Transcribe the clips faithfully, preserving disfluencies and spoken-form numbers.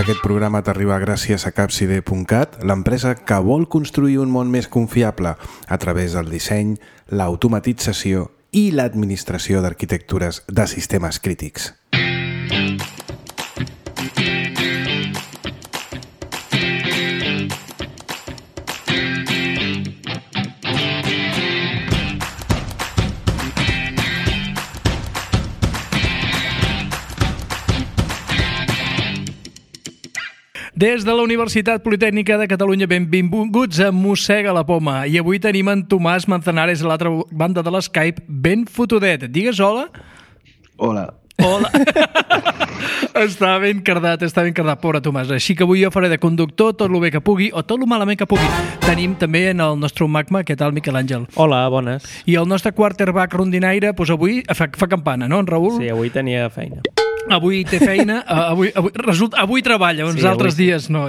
Aquest programa t'arriba gràcies a capside punt cat, l'empresa que vol construir un món més confiable a través del disseny, l'automatització i l'administració d'arquitectures de sistemes crítics. Des de la Universitat Politècnica de Catalunya, benvinguts a Mossega la Poma. I avui tenim en Tomàs Manzanares a l'altra banda de l'Skype, ben fotudet. Digues hola. Hola. Hola. Està ben cardat, està ben cardat, pobre Tomàs. Així que avui jo faré de conductor tot el bé que pugui o tot el malament que pugui. Tenim també en el nostre magma, què tal, Miquel Àngel? Hola, bones. I el nostre quarterback rondinaire, doncs avui fa, fa campana, no, en Raül? Sí, avui tenia feina. Avui té feina, avui, avui, resulta, avui treballa, uns sí, altres avui... dies no.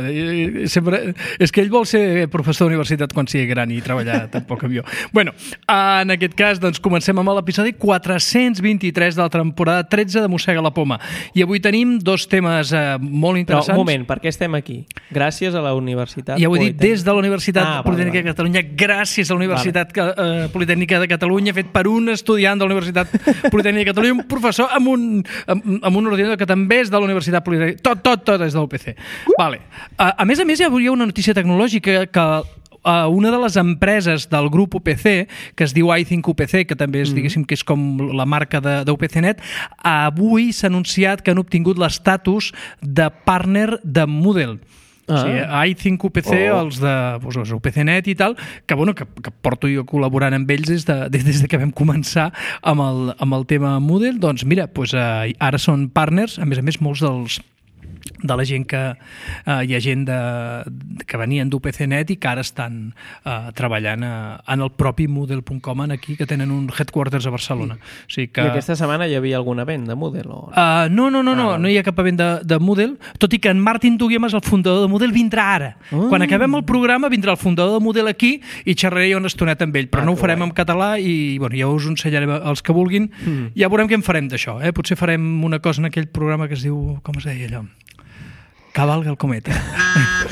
Sempre, és que ell vol ser professor d'universitat quan sigui gran i treballar tampoc amb jo. Bueno, en aquest cas, doncs, comencem amb l'episodi quatre-cents vint-i-tres de la temporada tretze de Mossega la Poma. I avui tenim dos temes eh, molt interessants. Però, un moment, per què estem aquí? Gràcies a la Universitat Ja ho he dit, des de la Universitat ah, Politècnica de Catalunya, gràcies a la Universitat vale. eh, Politècnica de Catalunya, fet per un estudiant de la Universitat Politècnica de Catalunya, un professor amb un, amb, amb un un ordinador que també és de la Universitat Politècnica. Tot, tot, tot és de l'U P C. Vale. A, a més a més, hi ha una notícia tecnològica que uh, una de les empreses del grup U P C, que es diu iThink U P C, que també és, mm. diguéssim, que és com la marca de, de U P C Net, avui s'ha anunciat que han obtingut l'estatus de partner de Moodle. Ah. O sigui, iThink U P C, oh. els de doncs, U P C Net i tal, que, bueno, que, que porto jo col·laborant amb ells des de, des de que vam començar amb el, amb el tema Moodle, doncs mira, doncs, eh, ara són partners, a més a més molts dels de la gent que eh, hi ha gent de, que venien d'U P C Net i que ara estan eh, treballant a, en el propi Moodle punt com aquí, que tenen un headquarters a Barcelona. O sigui que... I aquesta setmana hi havia algun event de Moodle? O... Uh, no, no, no, no, ah, no hi ha cap event de, de Moodle, tot i que en Martin Duguemas, el fundador de Moodle, vindrà ara. Uh. Quan acabem el programa vindrà el fundador de Moodle aquí i xerraré una estoneta amb ell, però ah, no ho farem en català i bueno, ja us ho ensenyaré els que vulguin. Mm. Ja veurem què en farem d'això. Eh? Potser farem una cosa en aquell programa que es diu, com es deia allò? Cavalga el cometa.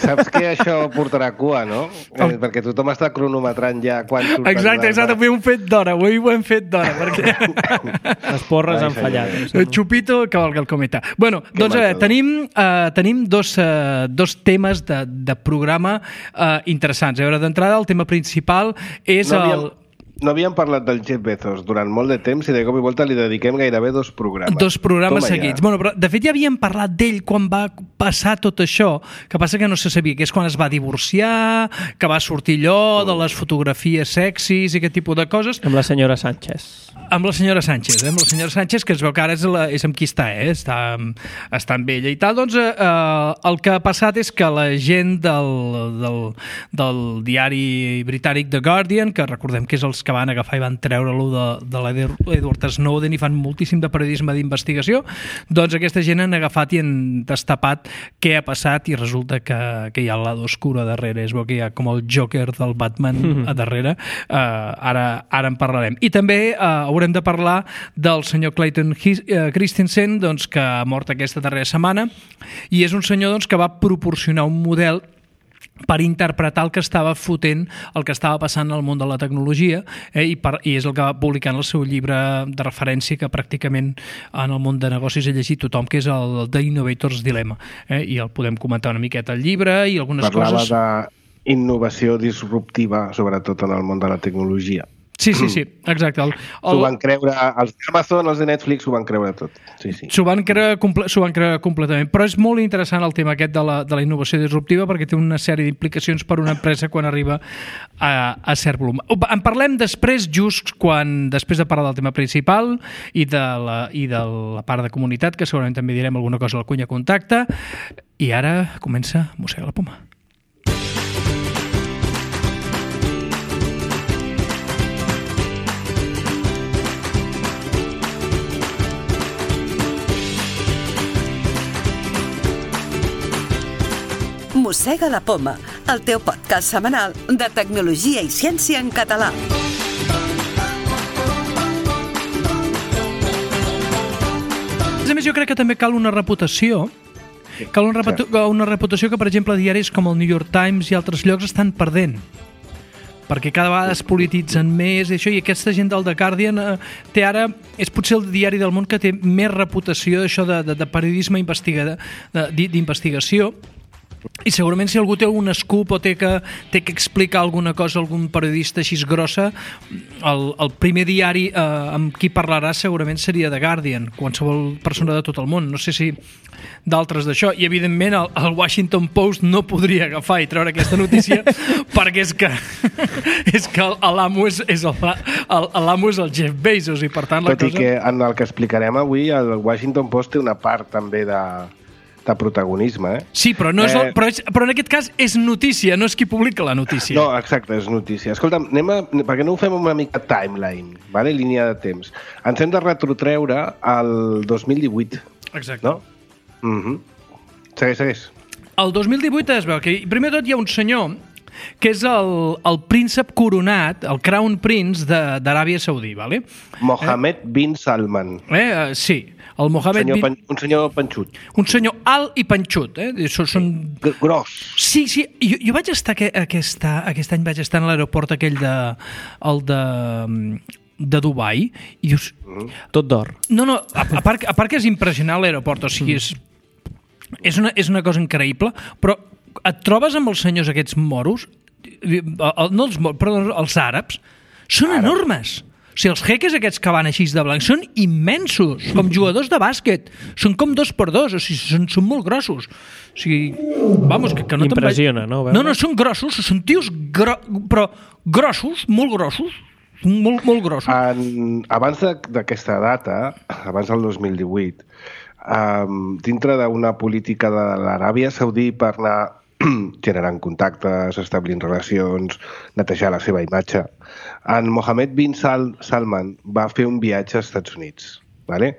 Saps que això portarà cua, no? Eh, perquè tothom està cronometrant ja quan surt. Exacte, exacte, avui ho hem fet d'hora, avui ho hem fet d'hora, perquè... Les porres han fallat. Chupito, cavalga el cometa. Bueno, que doncs eh, tenim, eh, tenim dos, eh, dos temes de, de programa eh, interessants. A veure, d'entrada, el tema principal és no havíem... el... No havíem parlat del Jeff Bezos durant molt de temps i de cop i volta li dediquem gairebé dos programes. Dos programes Toma seguits. Ja. Bueno, però de fet ja havíem parlat d'ell quan va passar tot això, que passa que no se sabia, que és quan es va divorciar, que va sortir allò de les fotografies sexis i aquest tipus de coses. Amb la senyora Sánchez. Amb la senyora Sánchez, eh? Amb la senyora Sánchez, que es veu que ara és, la, és amb qui està, eh? Està, està amb ella i tal. Doncs eh, el que ha passat és que la gent del, del, del diari britànic The Guardian, que recordem que és els que van agafar i van treure-lo de, de l'Edward Snowden i fan moltíssim de periodisme d'investigació, doncs aquesta gent han agafat i han destapat què ha passat i resulta que, que hi ha el lado oscuro a darrere, és bo que hi ha com el Joker del Batman mm-hmm. a darrere, uh, ara, ara en parlarem. I també uh, haurem de parlar del senyor Clayton Christensen, doncs, que ha mort aquesta darrera setmana, i és un senyor doncs, que va proporcionar un model per interpretar el que estava fotent, el que estava passant al món de la tecnologia, eh, i, per, i és el que va publicar en el seu llibre de referència que pràcticament en el món de negocis ha llegit tothom, que és el The Innovator's Dilemma, eh, i el podem comentar una miqueta al llibre i algunes Parlava coses... Parlava d'innovació disruptiva, sobretot en el món de la tecnologia. Sí, sí, sí, exacte. El, el... S'ho van creure, els d'Amazon, els de Netflix, s'ho van creure tot. Sí, sí. S'ho van creure, comple s'ho van creure completament. Però és molt interessant el tema aquest de la, de la innovació disruptiva perquè té una sèrie d'implicacions per una empresa quan arriba a, a cert volum. En parlem després, just quan, després de parlar del tema principal i de la, i de la part de comunitat, que segurament també direm alguna cosa al Cunya Contacte. I ara comença Mossega la Poma. Mossega la Poma, el teu podcast setmanal de tecnologia i ciència en català. A més, jo crec que també cal una reputació Que una, reputa una reputació que, per exemple, diaris com el New York Times i altres llocs estan perdent, perquè cada vegada es polititzen més i això, i aquesta gent del The Guardian eh, té ara, és potser el diari del món que té més reputació d'això de, de, de periodisme d'investigació. I segurament si algú té un scoop o té que, té que explicar alguna cosa a algun periodista així grossa, el, el primer diari eh, amb qui parlarà segurament seria The Guardian, qualsevol persona de tot el món. No sé si d'altres d'això. I evidentment el, el Washington Post no podria agafar i treure aquesta notícia perquè és que és que l'amo és, és, l'amo és el Jeff Bezos i per tant la Tot cosa... i que en el que explicarem avui el Washington Post té una part també de de protagonisme, eh? Sí, però, no és el, Eh, però, és, però en aquest cas és notícia, no és qui publica la notícia. No, exacte, és notícia. Escolta'm, anem a, perquè no ho fem una mica timeline, vale? Línia de temps. Ens hem de retrotreure al dos mil divuit, Exacte. no? Mm -hmm. Segueix, segueix. El dos mil divuit es veu que primer de tot hi ha un senyor que és el, el príncep coronat, el Crown Prince d'Aràbia Saudí, ¿vale? Mohammed eh? bin Salman. Eh, uh, sí, el Mohammed senyor bin... pan, un senyor panxut. Un senyor alt i panxut, eh? Són... són... Gros. Sí, sí, jo, jo vaig estar que, aquesta, aquest any vaig estar a l'aeroport aquell de... el de de Dubai i dius... Mm. Tot d'or. No, no, a, a, part, a part que és impressionant l'aeroport, o sigui, és, és, una, és una cosa increïble, però et trobes amb els senyors aquests moros, no els moros, perdó, els àrabs, són Àrab. enormes. O sigui, els jeques aquests que van així de blanc són immensos, com jugadors de bàsquet. Són com dos per dos, o sigui, són, són molt grossos. O sigui, vamos, que, que no Impressiona, no? No, no, són grossos, són tios gro... però grossos, molt grossos, molt, molt grossos. En, abans d'aquesta data, abans del dos mil divuit, um, dintre d'una política de l'Aràbia Saudí per anar generant contactes, establint relacions, netejar la seva imatge, en Mohammed bin Sal Salman va fer un viatge als Estats Units. ¿Vale?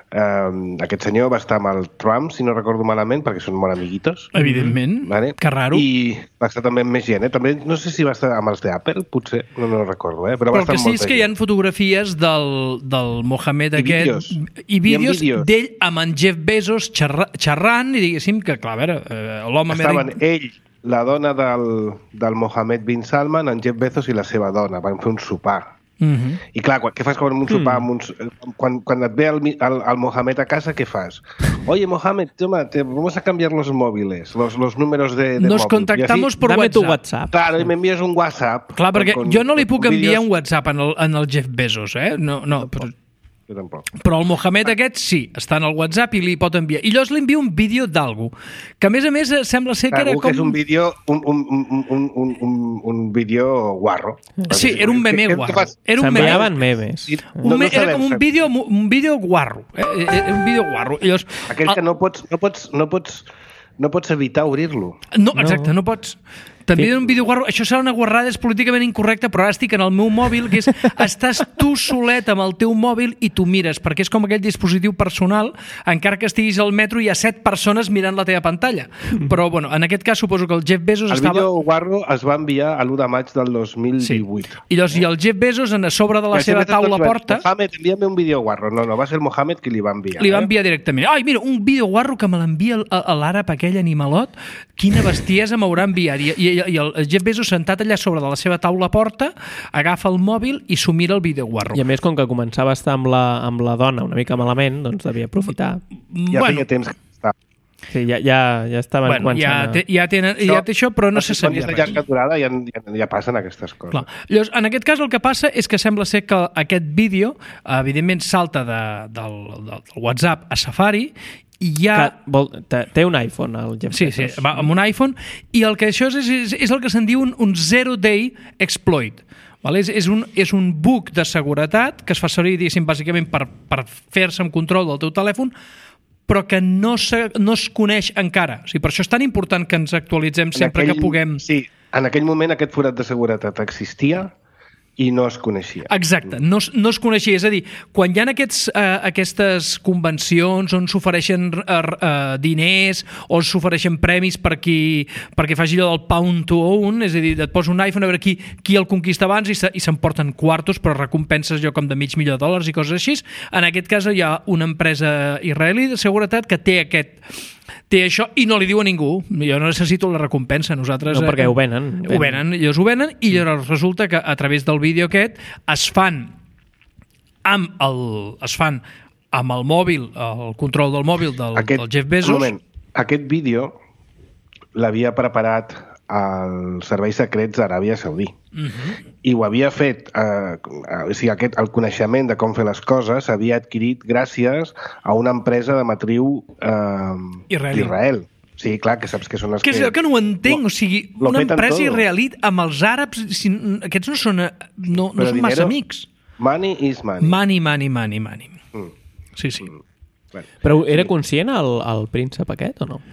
Um, aquest senyor va estar amb el Trump, si no recordo malament, perquè són molt amiguitos. Evidentment, vale? que raro. I va estar també amb més gent, eh? També, no sé si va estar amb els d'Apple, potser, no, no recordo, eh? Però, Però va el que estar sí amb és molta que hi ha gent. fotografies del, del Mohammed I aquest vídeos. i vídeos vídeos. d'ell amb en Jeff Bezos xerra, xerrant i diguéssim que, clar, a veure, eh, l'home... Estaven ell, la dona del, del Mohammed bin Salman, en Jeff Bezos i la seva dona. Van fer un sopar. Uh -huh. I clar, quan, què fas quan un sopar amb uns, quan, quan et ve el, el, el Mohammed a casa, què fas? Oye, Mohammed, toma, te vamos a cambiar los móviles, los, los números de, de Nos móvil. contactamos por Dame WhatsApp. tu WhatsApp. Claro, y me envías un WhatsApp. Clar, perquè con, jo no li puc con enviar vídeos. un WhatsApp en el, en el Jeff Bezos, eh? No, no, però... Jo tampoc. Però el Mohammed aquest sí, està en el WhatsApp i li pot enviar. I llavors li envia un vídeo d'algú, que a més a més sembla ser que era Segur com... que és un vídeo, un, un, un, un, un, un, un vídeo guarro. Sí, era un meme Què- què guarro. fas? Era un meme. S'enviaven memes. I- Un no, me, no era sabem, com un saps? vídeo, un vídeo guarro. Eh? Era un vídeo guarro. I llavors, Aquell que no pots, no pots, no pots, no pots evitar obrir-lo. No, exacte, no pots... T'envien un vídeo guarro, això serà una guarrada, és políticament incorrecta, però ara estic en el meu mòbil, que és, estàs tu solet amb el teu mòbil i tu mires, perquè és com aquell dispositiu personal, encara que estiguis al metro hi ha set persones mirant la teva pantalla. Però, bueno, en aquest cas suposo que el Jeff Bezos El estava... vídeo guarro es va enviar a l'u de maig del dos mil divuit. Sí. I llavors, i el Jeff Bezos, a sobre de la I seva sempre taula tots van, porta, Mohamed, envia'm un vídeo guarro. No, no, va ser el Mohamed qui li va enviar. li va eh? enviar directament. Ai, mira, un vídeo guarro que me l'envia el- a l'àrab, aquell animalot, quina bestiesa m'haurà enviat. I, i, I el Jeff Bezos sentat allà sobre de la seva taula porta, agafa el mòbil i s'ho mira el vídeo guarro. I a més, com que començava a estar amb la, amb la dona una mica malament, doncs devia aprofitar. Ja bueno, feia temps que estava. Sí, ja, ja, ja estaven bueno, començant ja, a... té, ja, tenen, ja té això, però no se sabia de res. llarga durada ja, ja, ja passen aquestes coses. Clar. Llavors, en aquest cas el que passa és que sembla ser que aquest vídeo, evidentment, salta de, del, del WhatsApp a Safari i hi ha... Que, vol, té, té un iPhone, el Jeff Sí, sí, Bezos. va amb un iPhone, i el que això és, és, és el que se'n diu un, un zero-day exploit. Vale? És, és, un, és un bug de seguretat que es fa servir, diguéssim, bàsicament per, per fer-se amb control del teu telèfon, però que no, se, no es coneix encara. O sigui, per això és tan important que ens actualitzem sempre aquell, que puguem... Sí, en aquell moment aquest forat de seguretat existia i no es coneixia. Exacte, no, es- no es coneixia. És a dir, quan hi ha aquests, eh, aquestes convencions on s'ofereixen eh, eh, diners o s'ofereixen premis per qui, perquè faci allò del pound to own, és a dir, et posa un iPhone a veure qui, qui el conquista abans i se- i s'emporten quartos, però recompenses allò com de mig milió de dòlars i coses així. En aquest cas hi ha una empresa israelí de seguretat que té aquest té això i no li diu a ningú. Jo no necessito la recompensa. Nosaltres, No, perquè ho venen. Ho venen, ells ho venen, i llavors resulta que a través del vídeo aquest es fan amb el, es fan amb el mòbil, el control del mòbil del, aquest, del Jeff Bezos. Un moment, aquest vídeo l'havia preparat els serveis secrets d'Aràbia Saudí. Uh-huh. I ho havia fet, eh, o sigui, aquest, el coneixement de com fer les coses s'havia adquirit gràcies a una empresa de matriu eh, d'Israel. Sí, clar, que saps que són les que... Que és que no ho entenc, lo, o sigui, una empresa israelita amb els àrabs, si, aquests no són, no, no són dinero, massa amics. Money is money. Money, money, money, money. Mm. Sí, sí. Mm. Bueno, però era conscient el, el príncep aquest o no?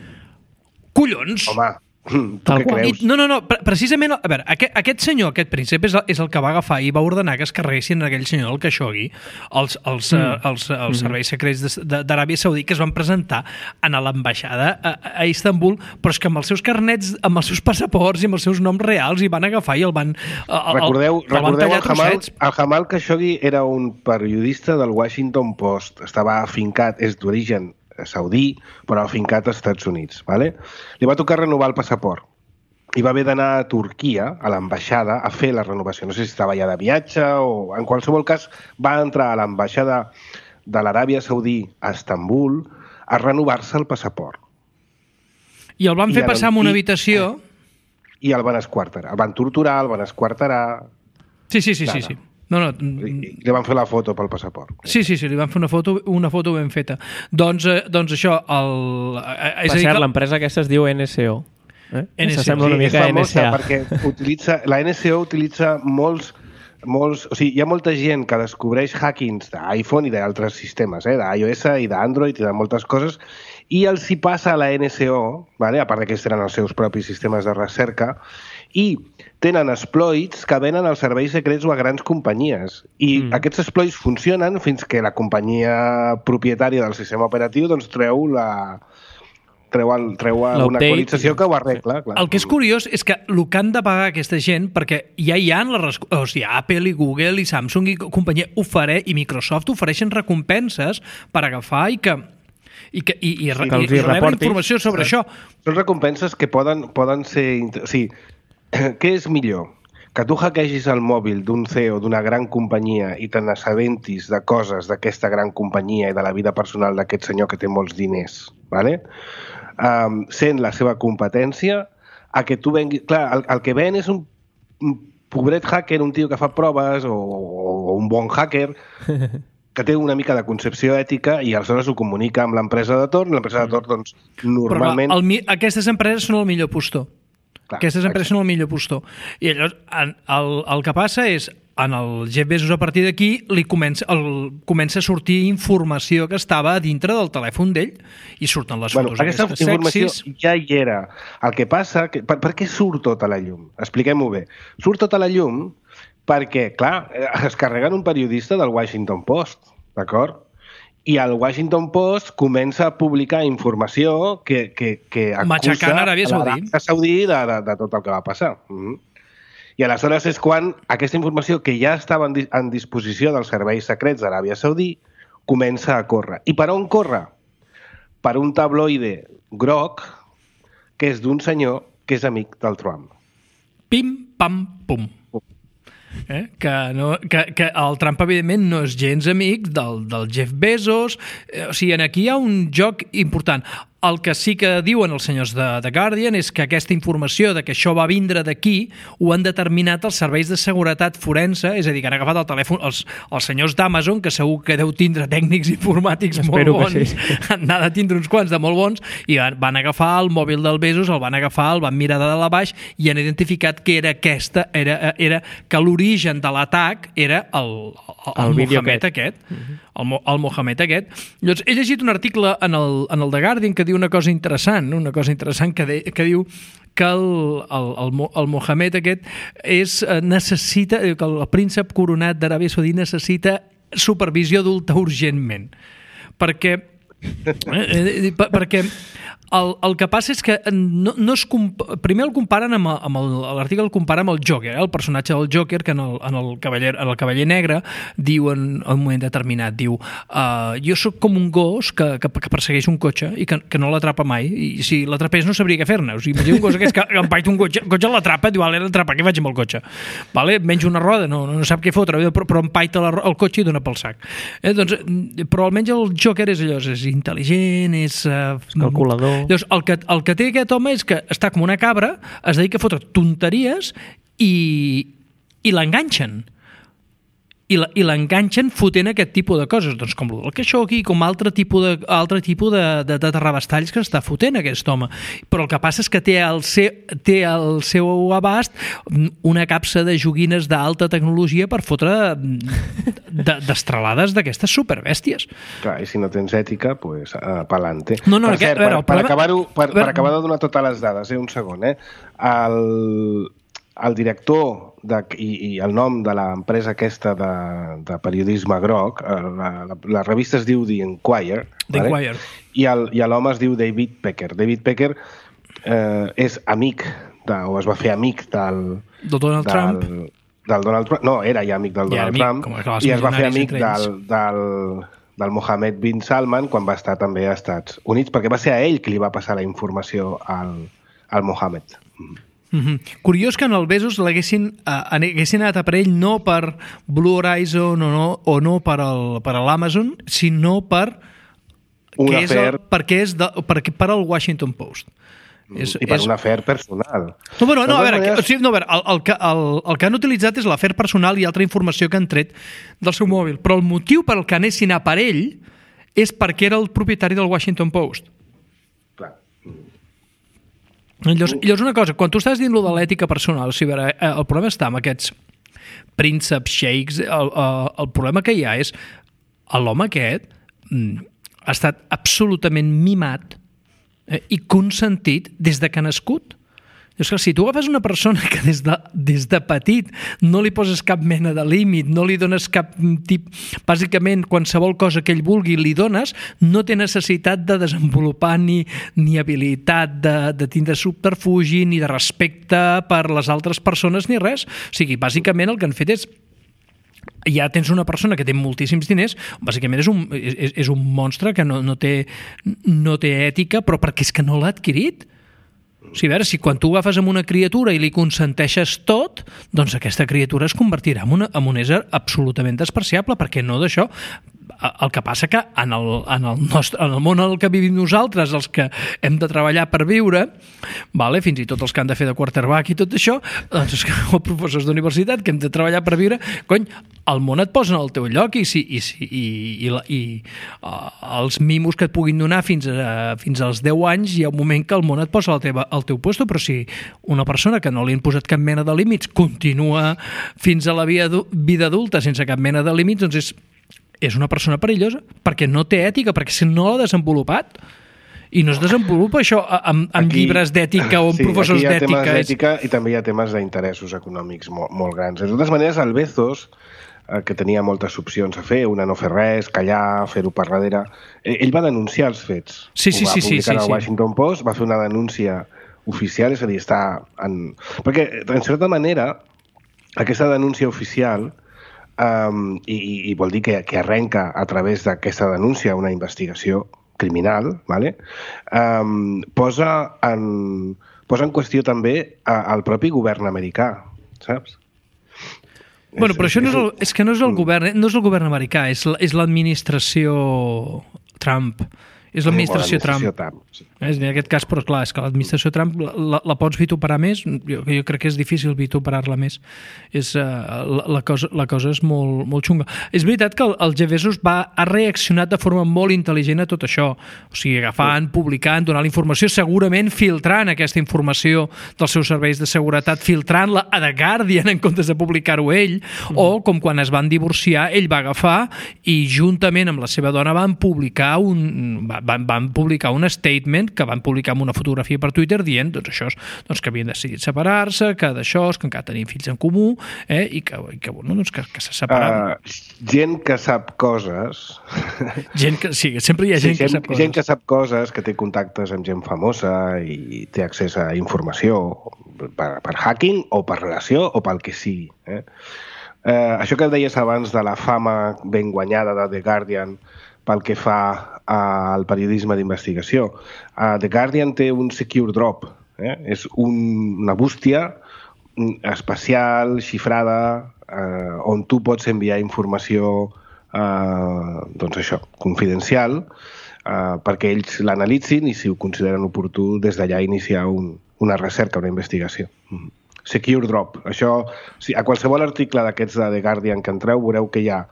Collons! Home, tu què creus? No, no, no, precisament, a veure, aquest, aquest senyor, aquest príncep, és el, és el que va agafar i va ordenar que es carreguessin aquell senyor, el Khashoggi, els, els, mm. els, els, els serveis secrets d'Aràbia Saudí, que es van presentar a l'ambaixada a, a Istanbul, però és que amb els seus carnets, amb els seus passaports i amb els seus noms reals hi van agafar i el van el, Recordeu, el, el van recordeu tallar el Jamal, trossets. el Jamal Khashoggi era un periodista del Washington Post, estava afincat, és d'origen saudí, però afincat als Estats Units. ¿vale? Li va tocar renovar el passaport i va haver d'anar a Turquia, a l'ambaixada, a fer la renovació. No sé si estava ja de viatge o... En qualsevol cas, va entrar a l'ambaixada de l'Aràbia Saudí a Estambul a renovar-se el passaport. I el van fer I passar en una habitació... I el van esquarterar. El van torturar, el van esquarterar... Sí, sí, sí, sí, sí. No, no. Li, li van fer la foto pel passaport. Sí, sí, sí, li van fer una foto, una foto ben feta. Doncs, eh, doncs això, el... És per cert, que... l'empresa aquesta es diu N S O. Eh? N S O. S'assembla una mica a N S A. Perquè utilitza, la N S O utilitza molts, molts... O sigui, hi ha molta gent que descobreix hackings d'iPhone i d'altres sistemes, eh? d'iOS i d'Android i de moltes coses, i els hi passa a la N S O, vale? A part que ells tenen els seus propis sistemes de recerca, i tenen exploits que venen als serveis secrets o a grans companyies. I mm. aquests exploits funcionen fins que la companyia propietària del sistema operatiu doncs, treu la... treu, el, treu una actualització que ho arregla. Clar. El que és curiós és que el que han de pagar aquesta gent, perquè ja hi ha les, o sigui, Apple i Google i Samsung i companyia ofere, i Microsoft ofereixen recompenses per agafar i que i que i, i, sí, i, i rebre informació sobre sí. això. Són recompenses que poden, poden ser... O sigui, què és millor? Que tu hackeegis el mòbil d'un C E O d'una gran companyia i te n'assabentis de coses d'aquesta gran companyia i de la vida personal d'aquest senyor que té molts diners, ¿vale? um, sent la seva competència, a que tu venguis... Clar, el, el que ven és un, un pobret hacker, un tio que fa proves, o, o un bon hacker, que té una mica de concepció ètica i aleshores ho comunica amb l'empresa de torn, i l'empresa de torn, doncs, normalment... Però el, aquestes empreses són el millor postor. Clar, Aquestes empreses exacte. són el millor postor. I llavors, el, el que passa és, en el Jeff Bezos, a partir d'aquí, li comença, el, comença a sortir informació que estava a dintre del telèfon d'ell i surten les bueno, fotos aquesta aquestes informació sexis. Ja hi era. El que passa... Que, per, per què surt tota la llum? Expliquem-ho bé. Surt tota la llum perquè, clar, es carreguen un periodista del Washington Post, d'acord? I el Washington Post comença a publicar informació que, que, que acusa l'Aràbia Saudí, Saudí de, de, de tot el que va passar. Mm-hmm. I aleshores és quan aquesta informació que ja estava en, en disposició dels serveis secrets d'Aràbia Saudí comença a córrer. I per on corre? Per un tabloide groc que és d'un senyor que és amic del Trump. Pim, pam, pum. Eh? Que, no, que, que el Trump, evidentment, no és gens amic del, del Jeff Bezos. Eh, o sigui, aquí hi ha un joc important. El que sí que diuen els senyors de The Guardian és que aquesta informació de que això va vindre d'aquí ho han determinat els serveis de seguretat forense, és a dir, que han agafat el telèfon els, els senyors d'Amazon, que segur que deu tindre tècnics informàtics Espero molt bons, sí. n'ha de tindre uns quants de molt bons, i van agafar el mòbil del Bezos, el van agafar, el van mirar de dalt a baix i han identificat que era aquesta, era, era que l'origen de l'atac era el, el, el, el Mohamed aquest, uh-huh. el, el Mohamed aquest. Llavors, he llegit un article en el, en el The Guardian que diu una cosa interessant, una cosa interessant que, de, que diu que el, el, el, el Mohamed aquest és, necessita, que el príncep coronat d'Aràbia Saudí necessita supervisió adulta urgentment. Perquè, eh, perquè El, el que passa és que no, no es comp... primer el comparen amb, amb el, l'article el compara amb el Joker, eh? El personatge del Joker que en el, en el, cavaller, en el Cavaller Negre diu en, en un moment determinat, diu uh, jo sóc com un gos que, que, que persegueix un cotxe i que, que no l'atrapa mai, i si l'atrapés no sabria què fer-ne. O sigui, imagina un gos aquest que empaita un cotxe, el cotxe l'atrapa, diu, l'he d'atrapar, què faig amb el cotxe? Vale? Menja una roda, no, no sap què fotre, però, però empaita la, el cotxe i dona pel sac. Eh? Doncs, però almenys el Joker és allò, és intel·ligent, és... Uh, calculador. Llavors, el que, el que té aquest home és que està com una cabra, es dedica a fotre tonteries i, i l'enganxen. I, la, i l'enganxen fotent aquest tipus de coses, doncs com el Khashoggi, com altre tipus de, altre tipus de, de, de terrabastalls que està fotent aquest home. Però el que passa és que té al seu, té al seu abast una capsa de joguines d'alta tecnologia per fotre de, destralades d'aquestes superbèsties. Clar, i si no tens ètica, pues, uh, pa'lante. No, no, per aquest, cert, per, veure, per, problema... acabar-ho, per, veure... per acabar de donar totes les dades, eh, un segon, eh? El, el director de, i, i el nom de l'empresa aquesta de, de periodisme groc, la, la, la revista es diu The Enquirer, The vale? Enquirer. I, el, i l'home es diu David Pecker. David Pecker eh, és amic, de, o es va fer amic del... del Donald del, Trump. Del Donald Trump. No, era ja amic del ja Donald amic, Trump. I es va fer amic del, del, del Mohammed bin Salman quan va estar també als Estats Units, perquè va ser a ell qui li va passar la informació al, al Mohammed. Mm-hmm. Curiós que en el Bezos l'haguessin uh, haguessin anat a per ell no per Blue Horizon o no, o no per, el, per l'Amazon, sinó per un que afer... és el, perquè és de, per, per al Washington Post. És, I per és... un afer personal. No, però, no, a veure, maneres... que, o sigui, no, a veure el, el, que, el, el que han utilitzat és l'afer personal i altra informació que han tret del seu mòbil, però el motiu per el que anessin a per ell és perquè era el propietari del Washington Post. Clar. Llavors, llavors una cosa, quan tu estàs dient lo de l'ètica personal, o sigui, veure, el problema està amb aquests prínceps, sheiks, el, el, el problema que hi ha és l'home aquest ha estat absolutament mimat eh, i consentit des de que ha nascut. És que si tu agafes una persona que des de, des de petit no li poses cap mena de límit, no li dones cap tip... Bàsicament, qualsevol cosa que ell vulgui li dones, no té necessitat de desenvolupar ni, ni habilitat de, de tindre subterfugi, ni de respecte per les altres persones, ni res. O sigui, bàsicament el que han fet és ja tens una persona que té moltíssims diners, bàsicament és un, és, és un monstre que no, no, té, no té ètica, però perquè és que no l'ha adquirit. O sigui, a veure, si quan tu agafes amb una criatura i li consenteixes tot, doncs aquesta criatura es convertirà en, una, en un ésser absolutament despreciable, perquè no d'això. El que passa que en el, en, el nostre, en el món en el que vivim nosaltres, els que hem de treballar per viure, vale, fins i tot els que han de fer de quarterback i tot això, doncs o professors d'universitat que hem de treballar per viure, cony, el món et posa en el teu lloc i, si, i, si, i, i, i uh, els mimos que et puguin donar fins, a, fins als deu anys, hi ha un moment que el món et posa al, teva, al teu puesto, però si una persona que no li han posat cap mena de límits continua fins a la vida adulta sense cap mena de límits, doncs és és una persona perillosa, perquè no té ètica, perquè si no l'ha desenvolupat, i no es desenvolupa això amb, amb aquí, llibres d'ètica o amb sí, professors d'ètica. Aquí hi ha temes d'ètica i també hi ha temes d'interessos econòmics molt, molt grans. De totes maneres, el Bezos, eh, que tenia moltes opcions a fer, una no fer res, callar, fer-ho per darrere, eh, ell va denunciar els fets. Sí, sí, Ho va sí, sí, publicar sí, al Washington sí. Post, va fer una denúncia oficial, és a dir, està en... Perquè, en certa manera, aquesta denúncia oficial Um, i, i vol dir que, que arrenca a través d'aquesta denúncia una investigació criminal, ¿vale? um, posa, en, posa en qüestió també el propi govern americà, saps? Bueno, però això no és, el, és que no és el govern, no és el govern americà, és, és l'administració Trump. És l'administració Trump. Trump sí. És, en aquest cas, però clar, és que l'administració Trump la, la pots vituperar més? Jo, jo crec que és difícil vituperar-la més. És, uh, la, la, cosa, la cosa és molt, molt xunga. És veritat que el, el Jeff Bezos va, ha reaccionat de forma molt intel·ligent a tot això. O sigui, agafant, sí. publicant, donant la informació, segurament filtrant aquesta informació dels seus serveis de seguretat, filtrant-la a The Guardian en comptes de publicar-ho ell, mm. o com quan es van divorciar, ell va agafar i juntament amb la seva dona van publicar un... Va, Van, van publicar un statement que van publicar amb una fotografia per Twitter dient doncs, això, doncs, que havien decidit separar-se, que d'això, que encara tenien fills en comú, eh, i que, i que, bueno, doncs, que, que se separaven. Uh, gent que sap coses Gent que, sí, sempre hi ha gent, sí, gent que sap coses. Gent que sap coses, que té contactes amb gent famosa i té accés a informació per, per hacking o per relació o pel que sigui. Eh? Eh, això que deies abans de la fama ben guanyada de The Guardian pel que fa al periodisme d'investigació. Uh, The Guardian té un secure drop. Eh? És un, una bústia especial, xifrada, eh, on tu pots enviar informació eh, doncs això, confidencial, eh, perquè ells l'analitzin i si ho consideren oportú des d'allà iniciar un, una recerca, una investigació. Mm. Secure drop. Això, si, a qualsevol article d'aquests de The Guardian que entreu veureu que hi ha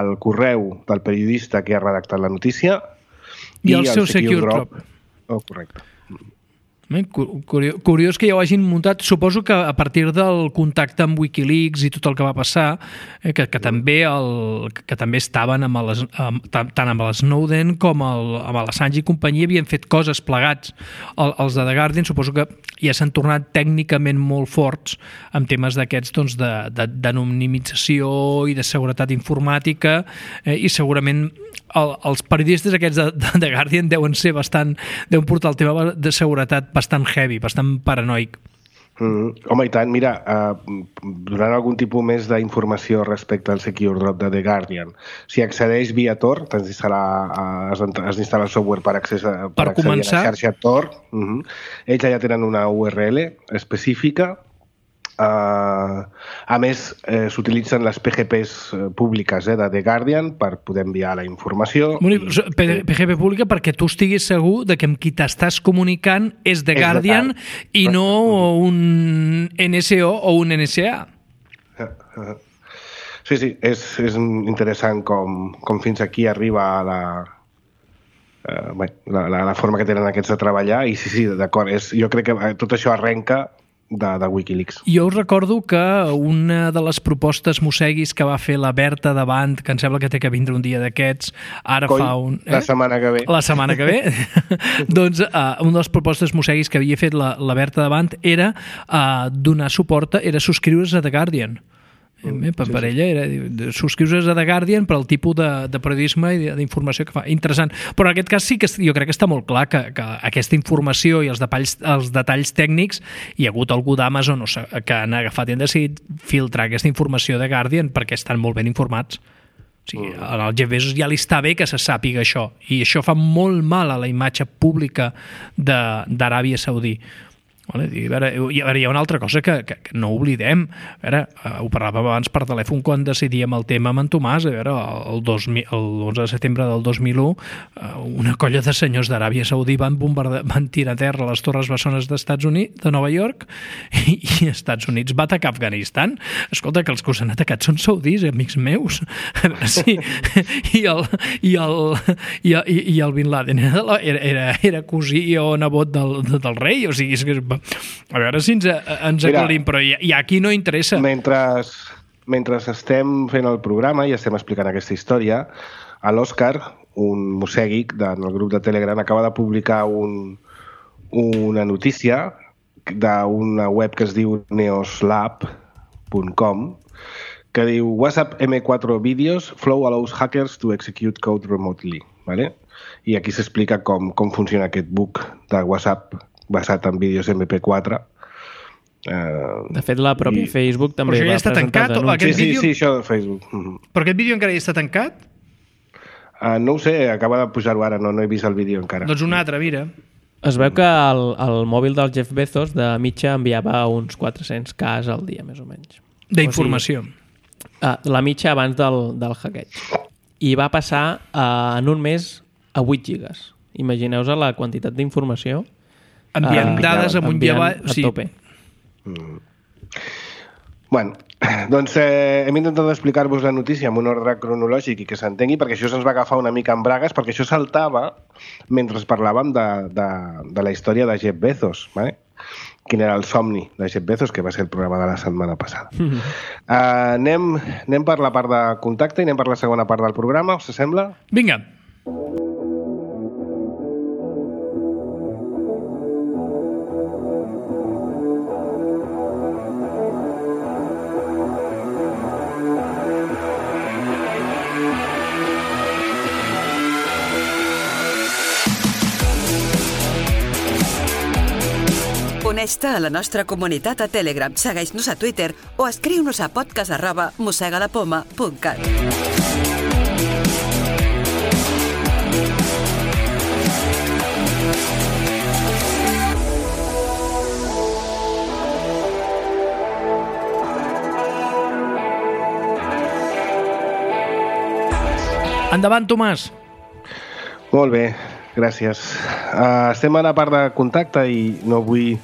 el correu del periodista que ha redactat la notícia i, i el, el seu secure, secure drop. drop. Oh, correcte. Curiós, curiós que ja ho hagin muntat. Suposo que a partir del contacte amb Wikileaks i tot el que va passar, eh, que, que, també el, que també estaven amb el, amb, tant amb el Snowden com el, amb l'Assange i companyia havien fet coses plegats. El, els de The Guardian suposo que ja s'han tornat tècnicament molt forts en temes d'aquests doncs, d'anonimització i de seguretat informàtica eh, i segurament el, els periodistes aquests de, de The Guardian deuen ser bastant, deuen portar el tema de seguretat bastant heavy, bastant paranoic. Mm, home, i tant, mira, uh, donant algun tipus més d'informació respecte al Secure Drop de The Guardian, si accedeix via Tor, t'has d'instal·lar el software per, accés a, per, per accedir començar, a la xarxa Tor, uh -huh. ells ja tenen una U R L específica. Uh, a més, eh, s'utilitzen les P G Ps públiques eh, de The Guardian per poder enviar la informació. Bueno, i... P G P pública perquè tu estiguis segur de que amb qui t'estàs comunicant és The és Guardian de i no un N S O o un N S A. Sí, sí, és, és interessant com, com fins aquí arriba la, uh, bé, la, la, la forma que tenen aquests de treballar i sí, sí, d'acord, jo crec que tot això arrenca De, de Wikileaks. Jo us recordo que una de les propostes mosseguis que va fer la Berta Davant, que em sembla que té que vindre un dia d'aquests, ara Coi, fa un... Eh? La setmana que ve. La setmana que ve. doncs uh, una de les propostes mosseguis que havia fet la, la Berta Davant era uh, donar suport, era subscriure's a The Guardian. Mm, per, sí, per sí. ella era subscriure's a The Guardian per al tipus de, de periodisme i d'informació que fa. Interessant. Però en aquest cas sí que jo crec que està molt clar que, que aquesta informació i els detalls, els detalls tècnics hi ha hagut algú d'Amazon no sé, que han agafat i han decidit filtrar aquesta informació de Guardian perquè estan molt ben informats. O sigui, al Jeff Bezos ja li està bé que se sàpiga això i això fa molt mal a la imatge pública d'Aràbia Saudí. Vale? I, a veure, hi ha una altra cosa que, que, que no oblidem. A veure, uh, ho parlàvem abans per telèfon quan decidíem el tema amb en Tomàs. A veure, el, dos mil, el onze de setembre del dos mil u uh, una colla de senyors d'Aràbia Saudí van, van tirar a terra les torres bessones d'Estats Units, de Nova York, i, i Estats Units va atacar Afganistan. Escolta, que els que us han atacat són saudis, amics meus. A veure, sí. I el, i el, i el, i el Bin Laden era, era, era cosí o nebot del, del rei, o sigui, és que a veure si ens, ens aclarim, però i, i aquí no interessa. Mentre, mentre estem fent el programa i estem explicant aquesta història, a l'Òscar, un mossèguic del grup de Telegram, acaba de publicar un, una notícia d'una web que es diu neoslab punt com que diu WhatsApp eme quatre Videos Flow allows hackers to execute code remotely. ¿Vale? I aquí s'explica com, com funciona aquest bug de WhatsApp basat en vídeos eme pe quatre. Uh, de fet, la pròpia i... Facebook també ja va està presentar tancat, anuncis. Sí, vídeo... sí, sí, això de Facebook. Uh-huh. Però aquest vídeo encara ja està tancat? Uh, no ho sé, acaba de pujar-ho ara, no, no he vist el vídeo encara. Doncs un altre, mira. Es veu que el, el mòbil del Jeff Bezos de mitja enviava uns quatre-cents cas al dia, més o menys. D'informació. O sigui, uh, la mitja abans del, del hackeig. I va passar uh, en un mes a vuit gigas. Imagineu-vos la quantitat d'informació enviant uh, dades amunt i avall, a tope. Mm. Bueno, doncs eh, hem intentat explicar-vos la notícia amb un ordre cronològic i que s'entengui, perquè això se'ns va agafar una mica en bragues, perquè això saltava mentre parlàvem de, de, de la història de Jeff Bezos, ¿vale? Quin era el somni de Jeff Bezos, que va ser el programa de la setmana passada. Mm -hmm. uh, anem, anem per la part de contacte i anem per la segona part del programa, us sembla? Vinga. Uneix-te a la nostra comunitat a Telegram, segueix-nos a Twitter o escriu-nos a podcast arroba mossegalapoma punt cat. Endavant, Tomàs. Molt bé, gràcies. Uh, estem a la part de contacte i no vull,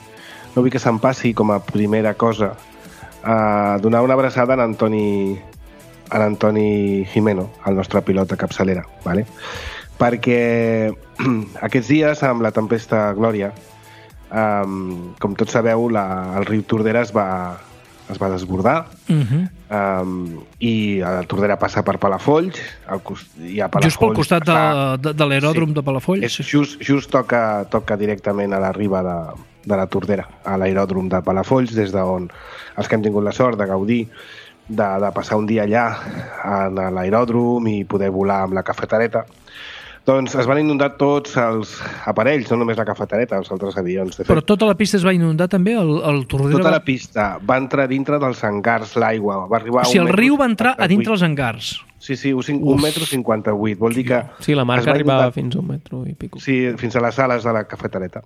no vull que se'm passi com a primera cosa uh, donar una abraçada a Antoni, a Antoni Jimeno, el nostre pilot de capçalera, ¿vale? Perquè aquests dies, amb la tempesta Glòria, um, com tots sabeu, la, el riu Tordera es va, es va desbordar, uh-huh. um, i la Tordera passa per Palafolls, al, i a Palafolls... Just pel costat de, de, de l'aeròdrom sí, de Palafolls. És, just just toca, toca directament a la riba de, de la Tordera, a l'aeròdrom de Palafolls, des d'on els que hem tingut la sort de gaudir de, de passar un dia allà a l'aeròdrom i poder volar amb la cafetereta. Doncs es van inundar tots els aparells, no només la cafetereta, els altres avions. De fet, però tota la pista es va inundar també? El, el Tordera tota va... la pista va entrar dintre dels hangars l'aigua. Va arribar o sigui, a un el riu va entrar a dintre els hangars. Sí, sí, un metro cinquanta-vuit. Vol dir que... Sí, la marca arribava inundar... fins a un metro i pico. Sí, fins a les sales de la cafetereta.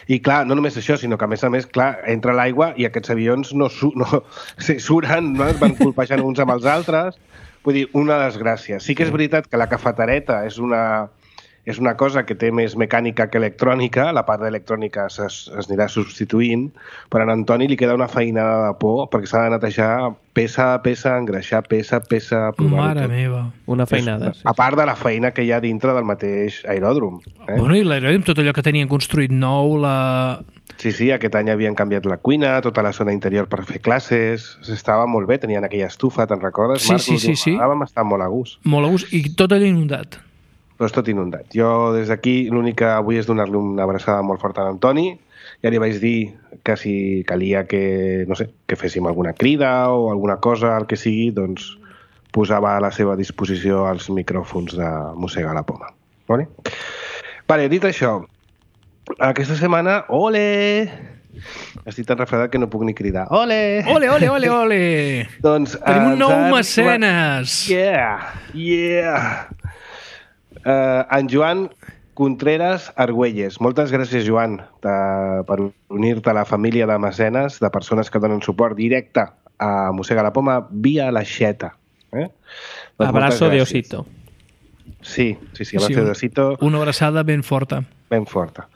I clar, no només això, sinó que a més a més, clar, entra l'aigua i aquests avions no, su no sí, suren, no? Es van colpejant uns amb els altres. Vull dir, una desgràcia. Sí que és veritat que la cafetereta és una, és una cosa que té més mecànica que electrònica, la part d'electrònica es, es anirà substituint, però a Antoni li queda una feinada de por perquè s'ha de netejar peça a peça, engreixar peça a peça... Mare meva. Una feinada, és, sí. A part de la feina que hi ha dintre del mateix aeròdrom. Eh? Bueno, i l'aeròdrom, tot allò que tenien construït nou, la... Sí, sí, aquest any havien canviat la cuina, tota la zona interior per fer classes, estava molt bé, tenien aquella estufa, te'n recordes, sí, Marc? Sí, sí, sí. Vam estar molt a gust. Molt a gust, i tot allò inundat. Però és tot inundat. Jo, des d'aquí, l'únic que vull és donar-li una abraçada molt forta a l'Antoni. Ja li vaig dir que si calia que, no sé, que féssim alguna crida o alguna cosa, el que sigui, doncs posava a la seva disposició els micròfons de Mossega la Poma. Vale? Vale, dit això, aquesta setmana, ole! Estic tan refredat que no puc ni cridar. Ole! Ole, ole, ole, ole! Doncs tenim un nou han... mecenes! Yeah! Yeah! Uh, en Joan Contreras Argüelles. Moltes gràcies, Joan, de, per unir-te a la família de mecenes, de persones que donen suport directe a Mossega la Poma via l'aixeta. Eh? Doncs abrazo de osito. Sí, sí, sí, abrazo sí, de osito. Una abraçada ben forta. Ben forta.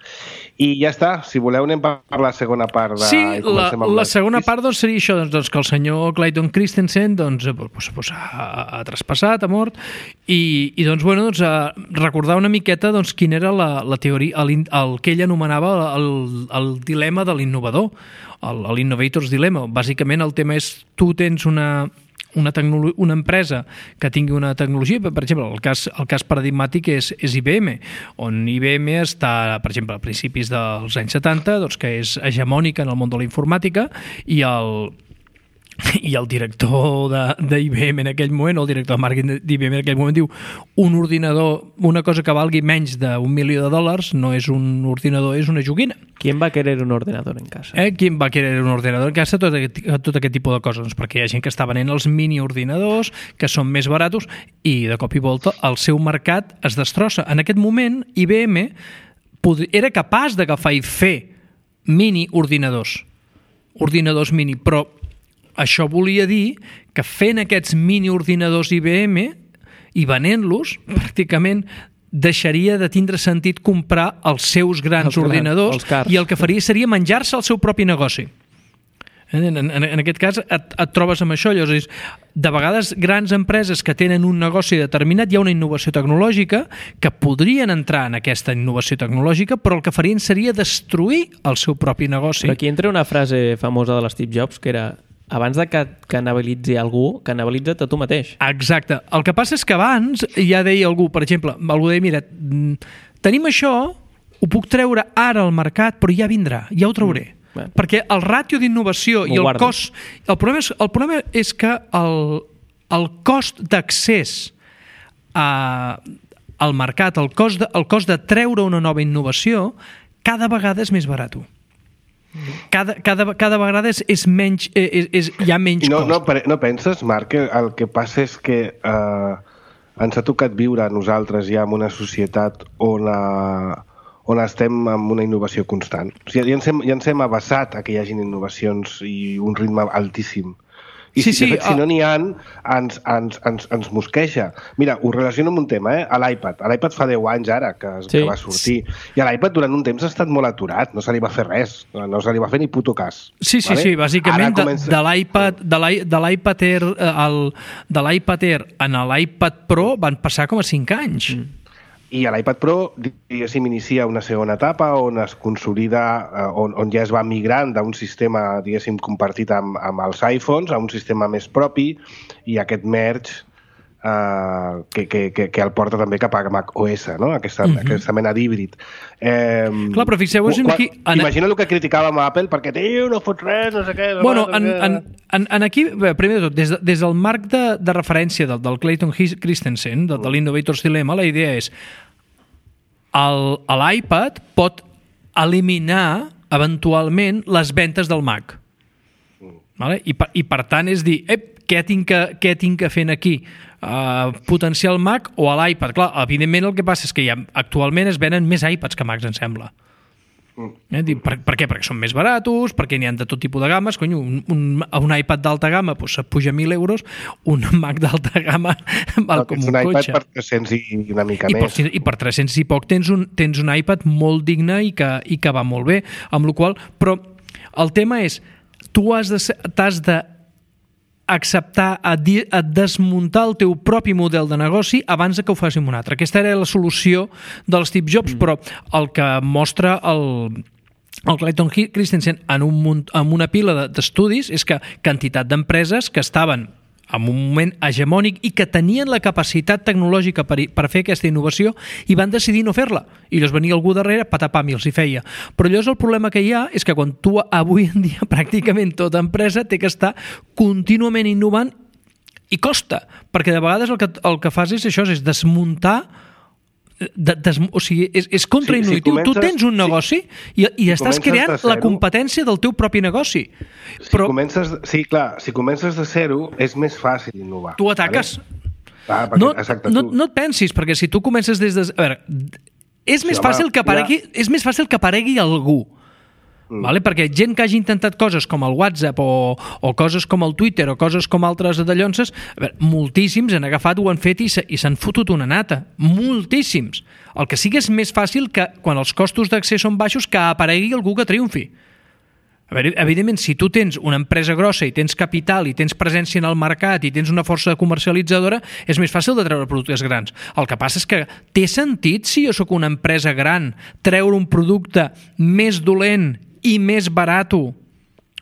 I ja està, si voleu anem per la segona part. De... Sí, la, la segona part doncs, seria això, doncs, doncs, que el senyor Clayton Christensen doncs, pues, pues, ha, ha traspassat, ha mort, i, i doncs, bueno, doncs, recordar una miqueta doncs, quina era la, la teoria, el, el que ell anomenava el, el dilema de l'innovador, l'Innovator's Dilemma. Bàsicament el tema és, tu tens una... Una, una empresa que tingui una tecnologia, per exemple, el cas, el cas paradigmàtic és, és I B M, on I B M està, per exemple, a principis dels anys setanta, doncs, que és hegemònica en el món de la informàtica, i el, i el director d'I B M en aquell moment, o el director de màrqueting d'I B M en aquell moment, diu un ordinador, una cosa que valgui menys d'un milió de dòlars, no és un ordinador, és una joguina. ¿Quién va a querer un ordenador en casa? Eh? ¿Quién va a querer un ordenador en casa? Tot aquest, tot aquest tipus de coses. Doncs perquè hi ha gent que està venent els mini-ordinadors, que són més baratos, i de cop i volta el seu mercat es destrossa. En aquest moment, I B M era capaç d'agafar i fer mini-ordinadors. Ordinadors mini, però això volia dir que fent aquests mini-ordinadors I B M i venent-los, pràcticament deixaria de tindre sentit comprar els seus grans els ordinadors grans, i el que faria seria menjar-se el seu propi negoci. En, en, en aquest cas et, et trobes amb això. Llavors, de vegades grans empreses que tenen un negoci determinat, hi ha una innovació tecnològica que podrien entrar en aquesta innovació tecnològica, però el que farien seria destruir el seu propi negoci. Però aquí entra una frase famosa de l'Steve Jobs que era: abans de que canibalitzi algú, canibalitza't a tu mateix. Exacte. El que passa és que abans ja deia algú, per exemple, algú deia, mira, tenim això, ho puc treure ara al mercat, però ja vindrà, ja ho trauré. Mm, bueno. Perquè el ràtio d'innovació i el guardo. cost... El problema és, el problema és que el, el cost d'accés a, al mercat, el cost, de, el cost de treure una nova innovació, cada vegada és més barat. cada, cada, cada vegada és, és menys, és, és, hi ha menys no, cost. No, no penses, Marc, que el que passa és que eh, ens ha tocat viure a nosaltres ja en una societat on, a, on estem en una innovació constant. O sigui, ja ens hem, ja ens hem abassat a que hi hagin innovacions i un ritme altíssim. I sí, si, sí, de fet, si uh... no n'hi ha, ens, ens, ens, ens mosqueja. Mira, ho relaciono amb un tema, eh? A l'iPad. A l'iPad fa deu anys ara que, sí. que va sortir. I a l'iPad durant un temps ha estat molt aturat. No se li va fer res. No se li va fer ni puto cas. Sí, sí, vale? sí. Bàsicament, comença... de l'iPad de l'iPad Air, el, de l'iPad Air en l'iPad Pro van passar com a cinc anys. Mm. I a l'iPad Pro, diguéssim, inicia una segona etapa on es consolida, on, on ja es va migrant d'un sistema, diguéssim, compartit amb, amb els iPhones a un sistema més propi i aquest merge eh, que, que, que, que el porta també cap a macOS, no? Aquesta, uh-huh. aquesta mena d'híbrid. Eh, Clar, però fixeu-vos aquí... En... Imagina el que criticàvem a Apple perquè, tio, no fot res, no sé què... No bueno, no en, sé en, en, en aquí, bé, primer de tot, des, de, des del marc de, de referència del, del Clayton Christensen, de, de l'Innovator's Dilemma, la idea és l'iPad pot eliminar eventualment les ventes del Mac. Vale? I, per, I per tant és dir, ep, què tinc que, què tinc que fer aquí? Uh, potenciar el Mac o a l'iPad? Clar, evidentment el que passa és que ja, actualment es venen més iPads que Macs, em sembla. Eh? Per, per què? Perquè són més baratos, perquè n'hi ha de tot tipus de games. Cony, un, un, un iPad d'alta gamma pues, puja mil euros, un Mac d'alta gamma val com un, un cotxe. Un iPad per tres-cents i una mica I més. Per, I per tres-cents i poc tens un, tens un iPad molt digne i que, i que va molt bé. Amb la qual, però el tema és, tu has de, t'has de acceptar a, di, a desmuntar el teu propi model de negoci abans de que ho faci un altre. Aquesta era la solució del Steve Jobs, mm. però el que mostra el, el Clayton Christensen en, un, en una pila d'estudis és que quantitat d'empreses que estaven en un moment hegemònic i que tenien la capacitat tecnològica per, per fer aquesta innovació i van decidir no fer-la. I llavors venia algú darrere, patapam, i els hi feia. Però llavors el problema que hi ha és que quan tu avui en dia pràcticament tota empresa té que estar contínuament innovant i costa, perquè de vegades el que, el que fas és això, és desmuntar De, des, o sigui, és, és contraintuitiu. Si, si tu tens un negoci si, i, i si estàs creant zero, la competència del teu propi negoci. Si però, comences, sí, clar, si comences de zero és més fàcil innovar. Tu ataques. Vale? Ah, perquè, no, exacte, no, tu. no et pensis, perquè si tu comences des de... A veure, és, sí, més, home, fàcil que aparegui, ja... és més fàcil que aparegui algú. Mm. Vale? Perquè gent que hagi intentat coses com el WhatsApp o, o coses com el Twitter o coses com altres de llonces, a veure, moltíssims han agafat, ho han fet i, se, i s'han fotut una nata. Moltíssims. El que sí que és més fàcil que, quan els costos d'accés són baixos, que aparegui algú que triomfi. A veure, evidentment, si tu tens una empresa grossa i tens capital i tens presència en el mercat i tens una força comercialitzadora, és més fàcil de treure productes grans. El que passa és que té sentit, si jo sóc una empresa gran, treure un producte més dolent i més barato,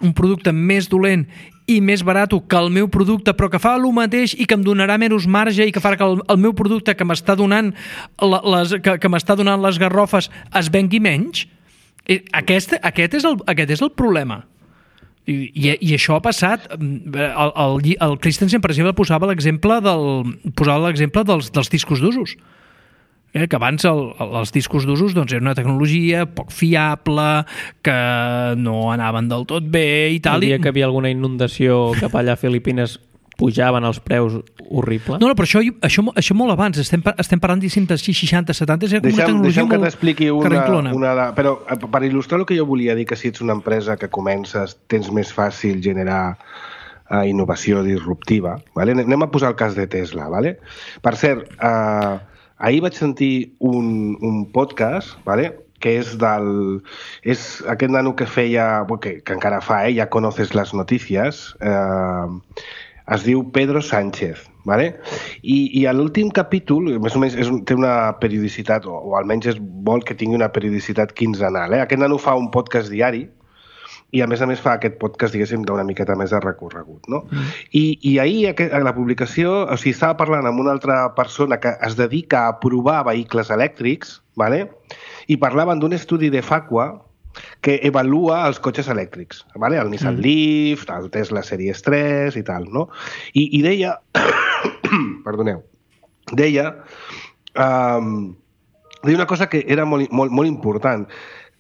un producte més dolent i més barato que el meu producte, però que fa el mateix i que em donarà menys marge i que farà que el, el meu producte que m'està donant les, que, que m'està donant les garrofes es vengui menys. Aquest, aquest, és, el, aquest és el problema. I, i, i això ha passat. El, el, el Christensen, per exemple, posava l'exemple del, posava l'exemple dels, dels discos d'usos. Eh, que abans el, els discos d'usos doncs, era una tecnologia poc fiable, que no anaven del tot bé i tal. El dia que hi havia alguna inundació cap allà a Filipines pujaven els preus horrible. No, no, però això, això, això molt abans. Estem, estem parlant de seixanta, setanta, és com deixem, una tecnologia molt t'expliqui una, una de, però per il·lustrar el que jo volia dir, que si ets una empresa que comences, tens més fàcil generar uh, innovació disruptiva. Vale? Anem a posar el cas de Tesla. Vale? Per cert, uh, ahir vaig sentir un, un podcast, vale? Que és del... És aquest nano que feia... Que, que encara fa, eh? Ja conoces les notícies. Eh, es diu Pedro Sánchez, vale? I, i a l'últim capítol, més o menys és, té una periodicitat, o, o almenys és vol que tingui una periodicitat quinzenal. Eh? Aquest nano fa un podcast diari, i a més a més fa aquest podcast, diguéssim, d'una miqueta més de recorregut, no? Mm. I, i ahir, a la publicació, o sigui, estava parlant amb una altra persona que es dedica a provar vehicles elèctrics, vale? I parlaven d'un estudi de Facua que evalua els cotxes elèctrics, vale? El Nissan mm. Leaf, el Tesla Series tres i tal, no? I, i deia... perdoneu. Deia... Um, deia una cosa que era molt, molt, molt important,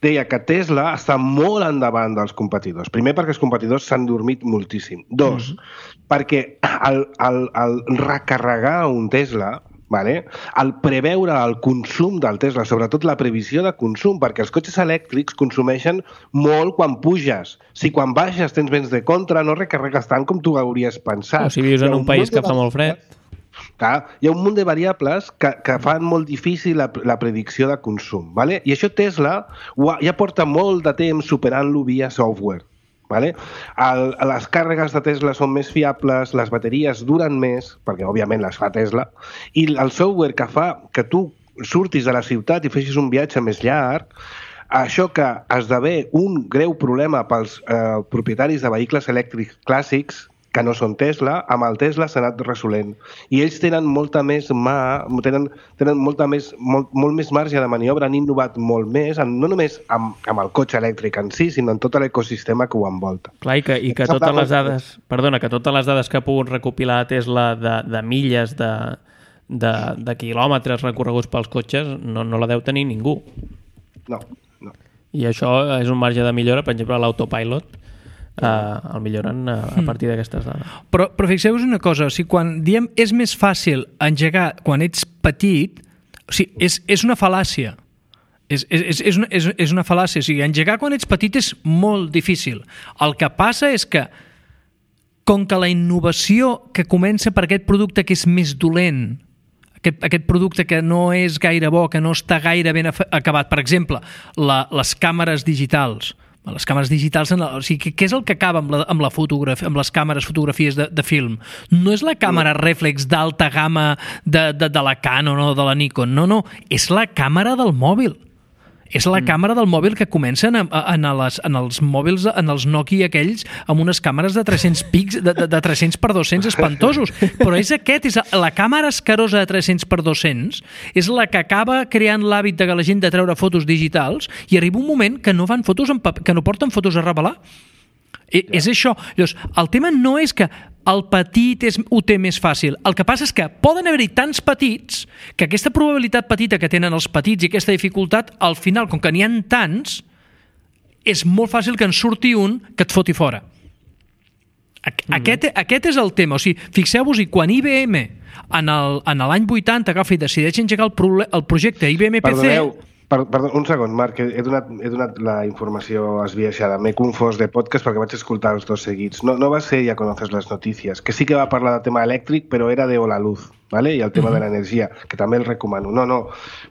deia que Tesla està molt endavant dels competidors. Primer, perquè els competidors s'han dormit moltíssim. Dos, mm-hmm. perquè el, el, el recarregar un Tesla, vale? El preveure el consum del Tesla, sobretot la previsió de consum, perquè els cotxes elèctrics consumeixen molt quan puges. Si quan baixes tens vents de contra, no recarregues tant com tu hauries pensat. O si vius en un, un país que fa molt fred. Clar, hi ha un munt de variables que, que fan molt difícil la, la predicció de consum. Vale? I això Tesla ja porta molt de temps superant-lo via software. Vale? El, les càrregues de Tesla són més fiables, les bateries duren més, perquè òbviament les fa Tesla, i el software que fa que tu surtis de la ciutat i feixis un viatge més llarg, això que esdevé un greu problema pels eh, propietaris de vehicles elèctrics clàssics, que no són Tesla, amb el Tesla s'ha anat resolent. I ells tenen molta més mà, tenen, tenen molta més, molt, molt més marge de maniobra, han innovat molt més, no només amb, amb el cotxe elèctric en si, sinó en tot l'ecosistema que ho envolta. Clar, i que, i que totes les dades, perdona, que totes les dades que ha pogut recopilar Tesla de, de milles, de, de, de quilòmetres recorreguts pels cotxes, no, no la deu tenir ningú. No, no. I això és un marge de millora, per exemple, l'autopilot, Uh, el milloren uh, a partir d'aquestes dades. Però, però fixeu-vos una cosa, o sigui, quan diem és més fàcil engegar quan ets petit, o sigui, és, és una fal·làcia. És, és, és, una, és, és una fal·làcia. O sigui, engegar quan ets petit és molt difícil. El que passa és que com que la innovació que comença per aquest producte que és més dolent, aquest, aquest producte que no és gaire bo, que no està gaire ben acabat, per exemple, la, les càmeres digitals, les càmeres digitals, en la, o sigui, què és el que acaba amb, la, amb, la fotografia, amb les càmeres fotografies de, de film? No és la càmera reflex d'alta gamma de, de, de la Canon o de la Nikon, no, no, és la càmera del mòbil. És la mm. càmera del mòbil que comencen en, en, les, en els mòbils, en els Nokia aquells, amb unes càmeres de tres-cents pics, de, de, de tres-cents per dos-cents espantosos. Però és aquest, és la càmera escarosa de tres-cents per dos-cents, és la que acaba creant l'hàbit de la gent de treure fotos digitals i arriba un moment que no fan fotos en paper, que no porten fotos a revelar. I, és això. Llavors, el tema no és que el petit és, ho té més fàcil. El que passa és que poden haver-hi tants petits que aquesta probabilitat petita que tenen els petits i aquesta dificultat, al final, com que n'hi ha tants, és molt fàcil que en surti un que et foti fora. Mm-hmm. Aquest, aquest és el tema. O sigui, fixeu-vos-hi, quan I B M en l'any vuitanta agafa i decideix engegar el, pro, el projecte I B M P C... Perdoneu. Perdó, un segon, Marc, he donat, he donat la informació esbiaixada. M'he confós de podcast perquè vaig escoltar els dos seguits. No, no va ser Ja conoces les notícies, que sí que va parlar de tema elèctric, però era de Hola Luz, ¿vale? I el tema uh-huh. de l'energia, que també el recomano. No, no,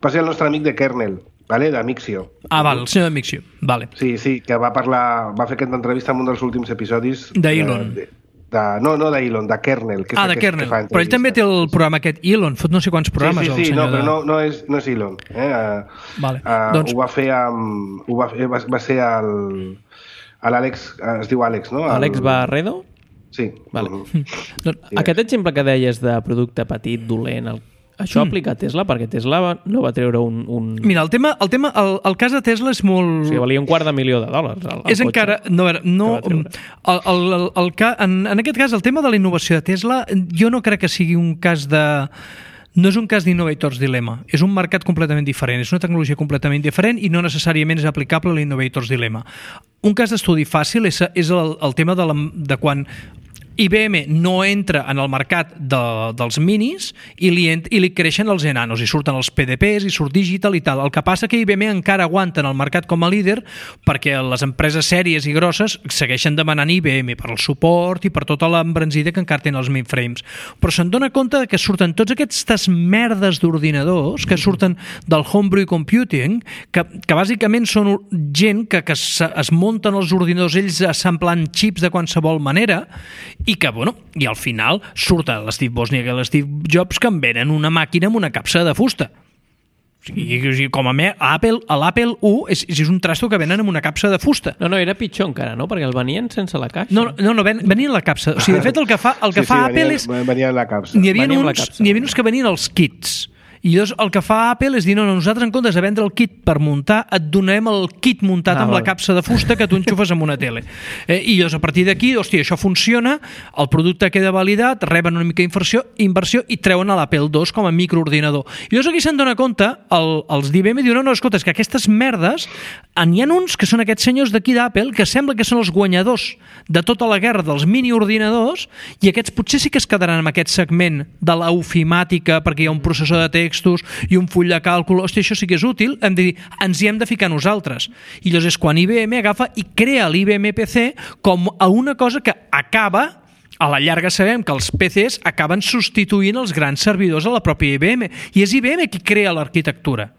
va ser el nostre amic de Kernel, ¿vale? De Mixio. Ah, val, el senyor de Mixio, vale. Sí, sí, que va parlar, va fer aquesta entrevista en un dels últims episodis... D'Elon. De, de, no, no d'Elon, de Kernel. Que ah, de Kernel, però ell també té el programa aquest Elon, fot no sé quants programes. Sí, sí, sí, el no, de... però no, no, és, no és Elon. Eh? Uh, vale. uh, doncs... Ho va fer amb... Ho va, va, va ser el... l'Àlex, es diu Àlex, no? El... Àlex Barredo? Sí. Vale. Mm. Doncs, aquest exemple que deies de producte petit, dolent, el... això mm. aplica a Tesla? Perquè Tesla no va treure un... un... Mira, el tema, el, tema el, el cas de Tesla és molt... O sigui, valia un quart de milió de dòlars. El, el és encara... No, no, el, el, el, el, en, en aquest cas, el tema de la innovació de Tesla, jo no crec que sigui un cas de... No és un cas d'Innovator's Dilemma, és un mercat completament diferent, és una tecnologia completament diferent i no necessàriament és aplicable a l'Innovator's Dilemma. Un cas d'estudi fàcil és, és el, el tema de, la, de quan I B M no entra en el mercat de, dels minis i li, ent, i li creixen els enanos i surten els P D Ps i surt digital i tal. El que passa que I B M encara aguanta en el mercat com a líder perquè les empreses sèries i grosses segueixen demanant I B M per al suport i per tota l'embranzida que encara tenen els mainframes. Però se'n dona compte que surten tots aquestes merdes d'ordinadors que surten del homebrew computing que, que bàsicament són gent que, que es, es munten els ordinadors ells assemblant xips de qualsevol manera i que, bueno, i al final surt l'Steve Wozniak i l'Steve Jobs que en venen una màquina amb una capsa de fusta. O sigui, com a, me, a Apple, a l'Apple u és, és un trasto que venen amb una capsa de fusta. No, no, era pitjor encara, no? Perquè el venien sense la caixa. No, no, no ven, venien la capsa. O sigui, de fet, el que fa, el que sí, fa sí, Apple venia, és... Venia la capsa. N'hi havia, uns, n'hi havia uns que venien els kits. I llavors el que fa Apple és dir, no, no, nosaltres en comptes de vendre el kit per muntar, et donarem el kit muntat ah, amb vale. la capsa de fusta que tu enxufes amb una tele. Eh, I llavors a partir d'aquí, hòstia, això funciona, el producte queda validat, reben una mica d'inversió inversió i treuen a l'Apple dos com a microordinador. I llavors aquí se'n dona compte, el, els d'I B M diuen, no, no, escolta, és que aquestes merdes, n'hi ha uns que són aquests senyors d'aquí d'Apple que sembla que són els guanyadors de tota la guerra dels miniordinadors i aquests potser sí que es quedaran en aquest segment de l'ofimàtica perquè hi ha un processor de textos i un full de càlcul, hòstia, això sí que és útil, hem de dir, ens hi hem de ficar nosaltres. I llavors és quan I B M agafa i crea l'I B M P C com a una cosa que acaba, a la llarga sabem que els P Cs acaben substituint els grans servidors a la pròpia I B M i és I B M qui crea l'arquitectura.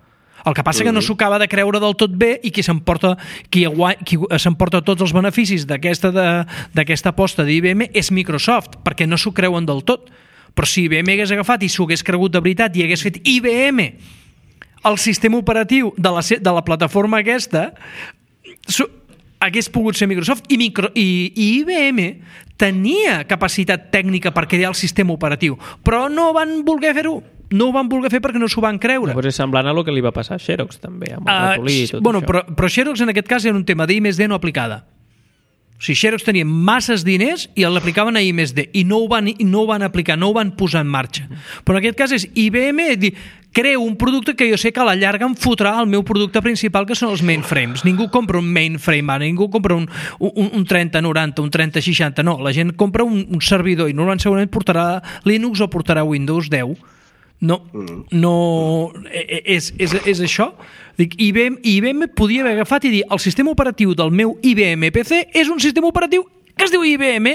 El que passa que no s'ho acaba de creure del tot bé i qui s'emporta qui, qui s'emporta tots els beneficis d'aquesta d'aquesta aposta d'I B M és Microsoft, perquè no s'ho creuen del tot. Però si I B M hagués agafat i s'ho hagués cregut de veritat i hagués fet I B M el sistema operatiu de la, de la plataforma aquesta, hagués pogut ser Microsoft i, micro, i, i I B M tenia capacitat tècnica per crear el sistema operatiu, però no van voler fer-ho. No ho van voler fer perquè no s'ho van creure. Llavors és semblant a el que li va passar a Xerox també, amb el uh, ratolí i tot bueno, això. Però, però Xerox en aquest cas era un tema d'I més D no aplicada. O sigui, Xerox tenia masses diners i l'aplicaven a I més D i no ho, van, no ho van aplicar, no ho van posar en marxa. Però en aquest cas és I B M dir, creo un producte que jo sé que a la llarga em fotrà el meu producte principal, que són els mainframes. Ningú compra un mainframe ara, ningú compra un, un, un trenta noranta, un trenta seixanta, no. La gent compra un, un servidor i normalment segurament portarà Linux o portarà Windows deu. No, no és, és, és això. Dic, I B M, I B M podia haver agafat i dir el sistema operatiu del meu I B M P C és un sistema operatiu que es diu I B M.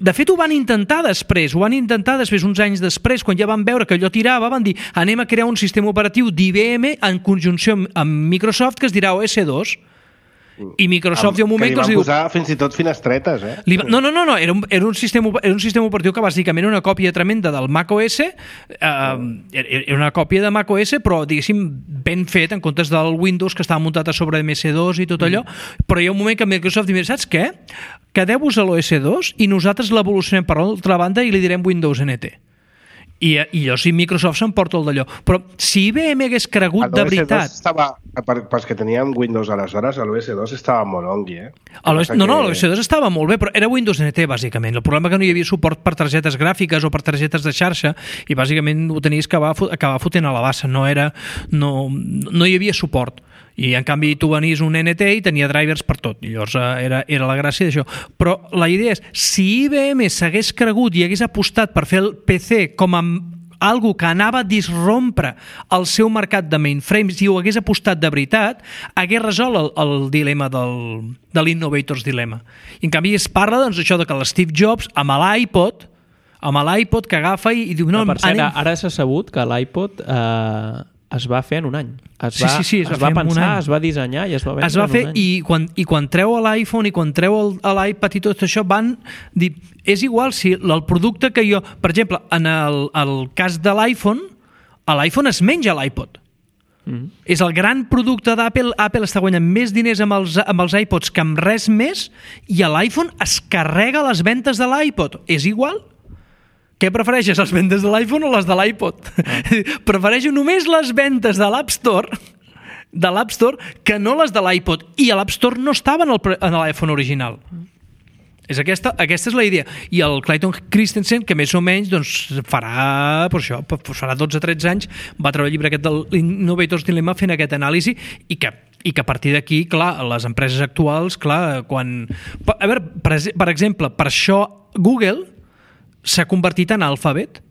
De fet, ho van intentar després, ho van intentar després, uns anys després, quan ja van veure que allò tirava, van dir, anem a crear un sistema operatiu d'I B M en conjunció amb Microsoft que es dirà O S dos. I Microsoft hi ha un moment que li van diu... posar fins i tot finestretes, eh? Li va... No, no, no, no. Era, un, era, un sistema, era un sistema operatiu que bàsicament era una còpia tremenda del macOS, eh, era una còpia de macOS, però diguéssim ben fet en comptes del Windows que estava muntat a sobre de M S dos i tot allò, mm. però hi ha un moment que Microsoft diu, saps què? Quedeu-vos a l'O S dos i nosaltres l'evolucionem per l'altra banda i li direm Windows N T. I, i jo si Microsoft s'emporta el d'allò. Però si I B M hagués cregut de veritat... Estava, per, pels que teníem Windows aleshores, l'O S dos estava molt ongui, eh? No, que... no, l'O S dos estava molt bé, però era Windows N T, bàsicament. El problema és que no hi havia suport per targetes gràfiques o per targetes de xarxa i bàsicament ho tenies que acabar, acabar fotent a la bassa. No, era, no, no hi havia suport. I en canvi tu venies un N T i tenia drivers per tot. I llavors era, era la gràcia d'això. Però la idea és, si I B M s'hagués cregut i hagués apostat per fer el P C com a algo que anava a disrompre el seu mercat de mainframes i ho hagués apostat de veritat, hagués resolt el, el dilema del, de l'Innovator's Dilemma. I en canvi es parla doncs, això de que l'Steve Jobs amb l'iPod amb l'iPod que agafa i, i diu... No, no, per cert, anem... ara s'ha sabut que l'iPod... Eh... es va fer en un any. Es va, sí, sí, sí, es, es va, va pensar, es va dissenyar i es va vendre es va fer, en un any. I quan, i quan treu l'iPhone i quan treu l'iPad i tot això van dir, és igual si el producte que jo... Per exemple, en el, el cas de l'iPhone, l'iPhone es menja l'iPod. Mm. És el gran producte d'Apple. Apple està guanyant més diners amb els, amb els iPods que amb res més i l'iPhone es carrega les ventes de l'iPod. És igual? Què prefereixes, les ventes de l'iPhone o les de l'iPod? Ah. Prefereixo només les ventes de l'App Store de l'App Store que no les de l'iPod. I a l'App Store no estava en l'iPhone original. Mm. És aquesta, aquesta és la idea. I el Clayton Christensen, que més o menys doncs, farà, per això, farà dotze o tretze anys, va treure el llibre aquest de l'Innovator's Dilemma fent aquest anàlisi i que i que a partir d'aquí, clar, les empreses actuals, clar, quan... A veure, per, per exemple, per això Google s'ha convertit en Alphabet.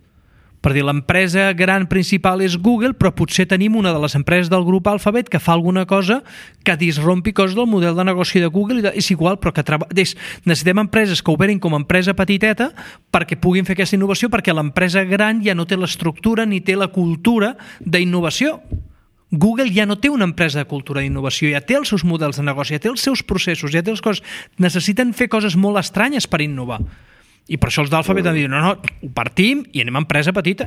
Per dir, l'empresa gran principal és Google, però potser tenim una de les empreses del grup Alphabet que fa alguna cosa que disrompi coses del model de negoci de Google. I és igual, però que treba... és, necessitem empreses que operin com a empresa petiteta perquè puguin fer aquesta innovació, perquè l'empresa gran ja no té l'estructura ni té la cultura d'innovació. Google ja no té una empresa de cultura d'innovació, ja té els seus models de negoci, ja té els seus processos, ja té les coses... Necessiten fer coses molt estranyes per innovar. I per això els d'Alphabet han dit, no, no, ho partim i anem a empresa petita.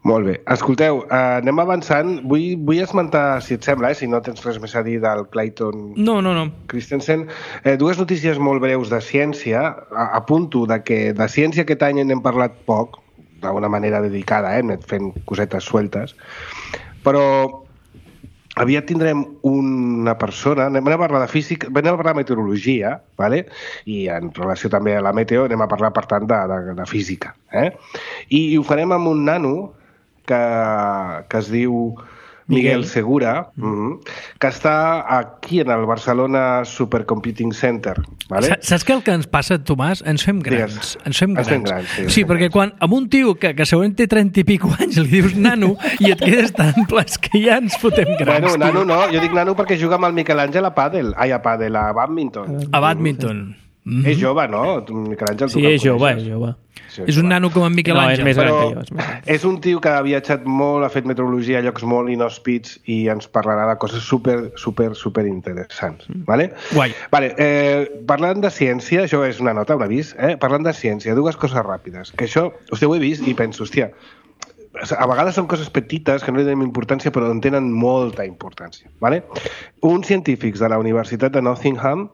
Molt bé. Escolteu, eh, anem avançant. Vull, vull esmentar, si et sembla, eh, si no tens res més a dir del Clayton no, no, no. Christensen, eh, dues notícies molt breus de ciència. A, apunto de que de ciència aquest any n'hem parlat poc, d'una manera dedicada, eh? Fent cosetes sueltes. Però aviat tindrem una persona, anem a parlar de física, anem a parlar de meteorologia, ¿vale? I en relació també a la meteo anem a parlar, per tant, de, de, de física. Eh? I, I ho farem amb un nano que, que es diu Miguel, Miguel Segura, mm. que està aquí en el Barcelona Supercomputing Center. ¿Vale? Saps què el que ens passa, Tomàs? Ens fem grans. Digues. Ens fem grans. Ens fem grans sí, sí perquè quan amb un tio que, que segurament té trenta i pico anys li dius nano i et quedes tan ples que ja ens fotem grans. Bueno, nano no, jo dic nano perquè juga amb el Miquel Àngel a pàdel. Ai, a pàdel, a badminton. A badminton. Mm-hmm. És jove, no? Miquel Àngel, sí, és jove, és jove. Sí, és un nano com en Miquel Àngel. No, és més gran que jo. És, més... és un tio que ha viatjat molt, ha fet meteorologia a llocs molt inhòspits i ens parlarà de coses super, super, super interessants. Mm. Vale? Guai. Vale, eh, parlant de ciència, això és una nota, un avís, eh? Parlant de ciència, dues coses ràpides, que això, hòstia, ho he vist i penso, hòstia, a vegades són coses petites que no li donem importància però en tenen molta importància. Vale? Uns científics de la Universitat de Nottingham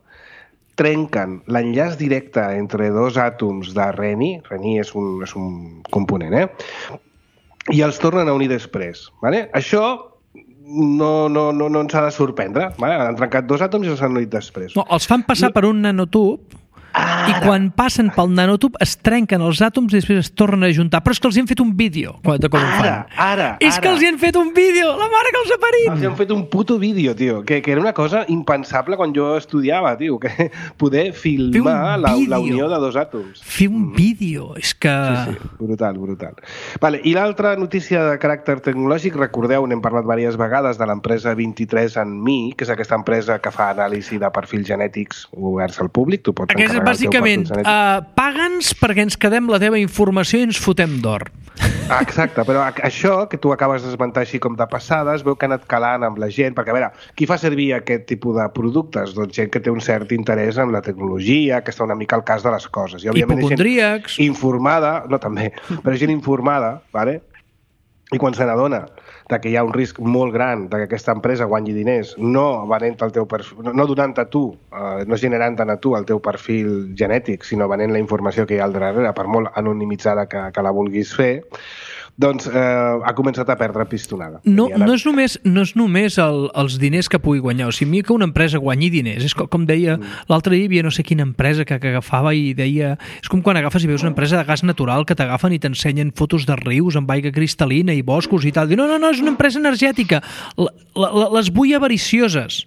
trenquen l'enllaç directe entre dos àtoms de reni, reni és un, és un component, eh? I els tornen a unir després. Vale? Això no, no, no, no ens ha de sorprendre. Vale? Han trencat dos àtoms i els han unit després. No, els fan passar per un nanotub Ara. I quan passen pel nanotub es trenquen els àtoms i després es tornen a juntar. Però és que els hi han fet un vídeo de com ara, ho fan. Ara, és ara. que els hi han fet un vídeo! La mare que els ha parit! Els hi han fet un puto vídeo, tio. Que, que era una cosa impensable quan jo estudiava, tio. Que poder filmar la, la unió de dos àtoms. Fer un vídeo. És que... Sí, sí. Brutal, brutal. Vale, i l'altra notícia de caràcter tecnològic, recordeu, n'hem parlat diverses vegades, de l'empresa vint-i-tres and me, que és aquesta empresa que fa anàlisi de perfils genètics oberts al públic. Tu pots encarregar bàsicament, uh, paga'ns perquè ens quedem la teva informació i ens fotem d'or. Ah, exacte, però això que tu acabes d'esmentar així com de passada es veu que ha anat calant amb la gent, perquè a veure, qui fa servir aquest tipus de productes? Doncs gent que té un cert interès en la tecnologia, que està una mica al cas de les coses. I, òbviament, hipocondríacs. Gent informada, no també, però gent informada, vale? I quan se n'adona que hi ha un risc molt gran de que aquesta empresa guanyi diners no venent el teu perfil, no donant a tu, eh, no generant a tu el teu perfil genètic, sinó venent la informació que hi ha al darrere, per molt anonimitzada que, que la vulguis fer, doncs eh, ha començat a perdre pistonada. No, no és només, no és només el, els diners que pugui guanyar, o sigui, que una empresa guanyi diners, és com, com deia, mm. l'altre dia hi havia no sé quina empresa que, que agafava i deia, és com quan agafes i veus una empresa de gas natural que t'agafen i t'ensenyen fotos de rius amb aigua cristal·lina i boscos i tal, diu, no, no, no, és una empresa energètica, la, la, les vull avaricioses.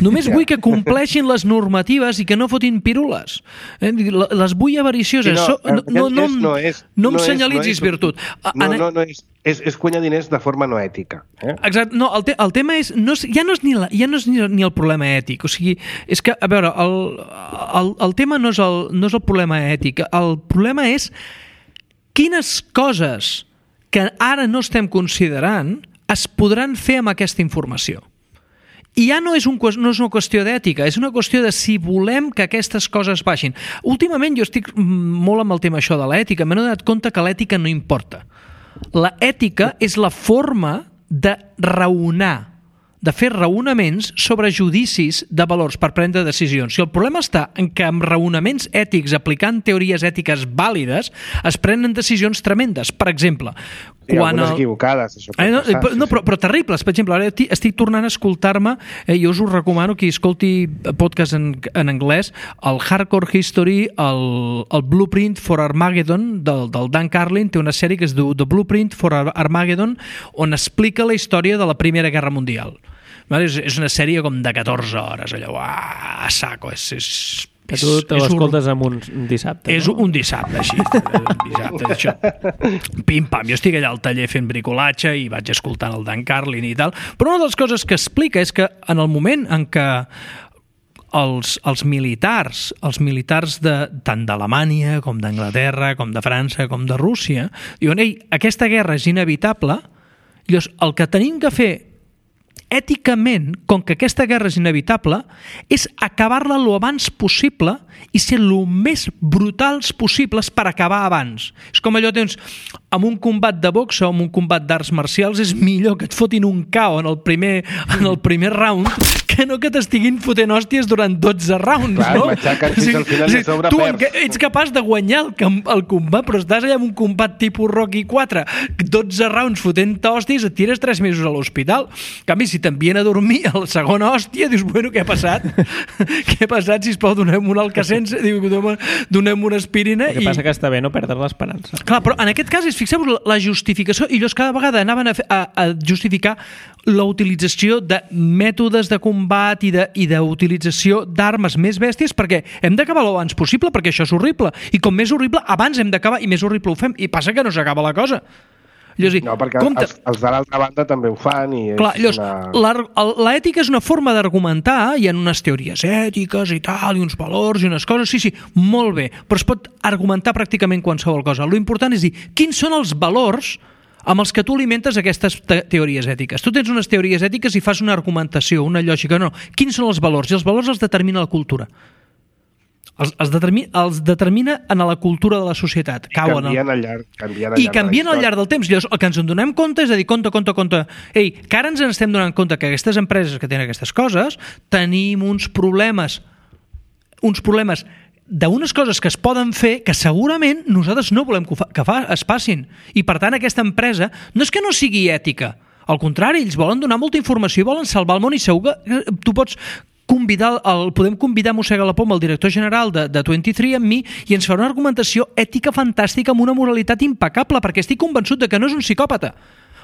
Només vull que compleixin les normatives i que no fotin pirules. Eh? Les vull avaricioses. Sí, no, no, no, no, no, és, no em no senyalitzis és, no és, virtut. No, no, no és, és, és guanyar diners de forma no ètica. Eh? Exacte. No, el, te, el tema és, no és... Ja no és, ni, la, ja no és ni, ni el problema ètic. O sigui, és que, a veure, el, el, el tema no és el, no és el problema ètic. El problema és quines coses que ara no estem considerant es podran fer amb aquesta informació. I ja no és, un, no és una qüestió d'ètica, és una qüestió de si volem que aquestes coses baixin. Últimament jo estic molt amb el tema això de l'ètica, m'he donat compte que l'ètica no importa. La ètica és la forma de raonar, de fer raonaments sobre judicis de valors per prendre decisions. Si el problema està en que amb raonaments ètics, aplicant teories ètiques vàlides, es prenen decisions tremendes. Per exemple, I quan algunes el... equivocades, això pot eh, no, passar. No, però, però terribles. Per exemple, ara estic tornant a escoltar-me, eh, jo us ho recomano que escolti podcast en, en anglès, el Hardcore History, el, el Blueprint for Armageddon, del, del Dan Carlin, té una sèrie que es diu The Blueprint for Armageddon, on explica la història de la Primera Guerra Mundial. És, és una sèrie com de catorze hores, allò, a saco, és... és que tu te l'escoltes un, un dissabte, és no? un dissabte, així. Un dissabte, això. Pim-pam, jo estic allà al taller fent bricolatge i vaig escoltant el Dan Carlin i tal, però una de les coses que explica és que en el moment en què els, els militars, els militars de, tant d'Alemanya com d'Anglaterra, com de França, com de Rússia, diuen, ei, aquesta guerra és inevitable, llavors el que tenim que fer èticament, com que aquesta guerra és inevitable, és acabar-la lo abans possible i ser lo més brutals possibles per acabar abans. És com allò, tens, amb un combat de boxa o amb un combat d'arts marcials és millor que et fotin un K O en el primer, en el primer round que no que t'estiguin fotent hòsties durant dotze rounds, Clar, no? matxaquen fins al final i a sobre tu perds. ets capaç de guanyar el, el combat, però estàs allà en un combat tipus Rocky quatre, dotze rounds fotent-te hòsties, et tires tres mesos a l'hospital. En canvi, si t'envien a dormir a la segona hòstia, dius, bueno, què ha passat? Què ha passat? Sisplau, donem un Alcacens, donem una aspirina. El que i... passa que està bé no perdre l'esperança. Clar, però en aquest cas, és, fixeu-vos, la justificació, i ells cada vegada anaven a, fer, a, a justificar la utilització de mètodes de combat i de, i d'utilització d'armes més bèsties perquè hem d'acabar l'abans possible, perquè això és horrible. I com més horrible, abans hem d'acabar i més horrible ho fem. I passa que no s'acaba la cosa. Llavors, no, perquè compte... els, els de l'altra banda també ho fan i és Clar, llavors, una... l'ètica és una forma d'argumentar, hi ha unes teories ètiques i tal, i uns valors i unes coses, sí, sí, molt bé, però es pot argumentar pràcticament qualsevol cosa. Lo important és dir, quins són els valors amb els que tu alimentes aquestes te teories ètiques. Tu tens unes teories ètiques i fas una argumentació, una lògica, no. Quins són els valors? I els valors els determina la cultura. Els, els, determina, els determina en la cultura de la societat. I canvien al llarg, canvien al llarg, I canvien al llarg del temps. Llavors, el que ens en donem compte és a dir, compte, compte, compte. Ei, que ara ens en estem donant compte que aquestes empreses que tenen aquestes coses tenim uns problemes, uns problemes d'unes coses que es poden fer que segurament nosaltres no volem que, fa, que fa, es passin. I, per tant, aquesta empresa no és que no sigui ètica. Al contrari, ells volen donar molta informació i volen salvar el món i segur que tu pots convidar, el, podem convidar Mossega la Poma, el director general de, de vint-i-tres and me, i ens farà una argumentació ètica fantàstica amb una moralitat impecable, perquè estic convençut de que no és un psicòpata.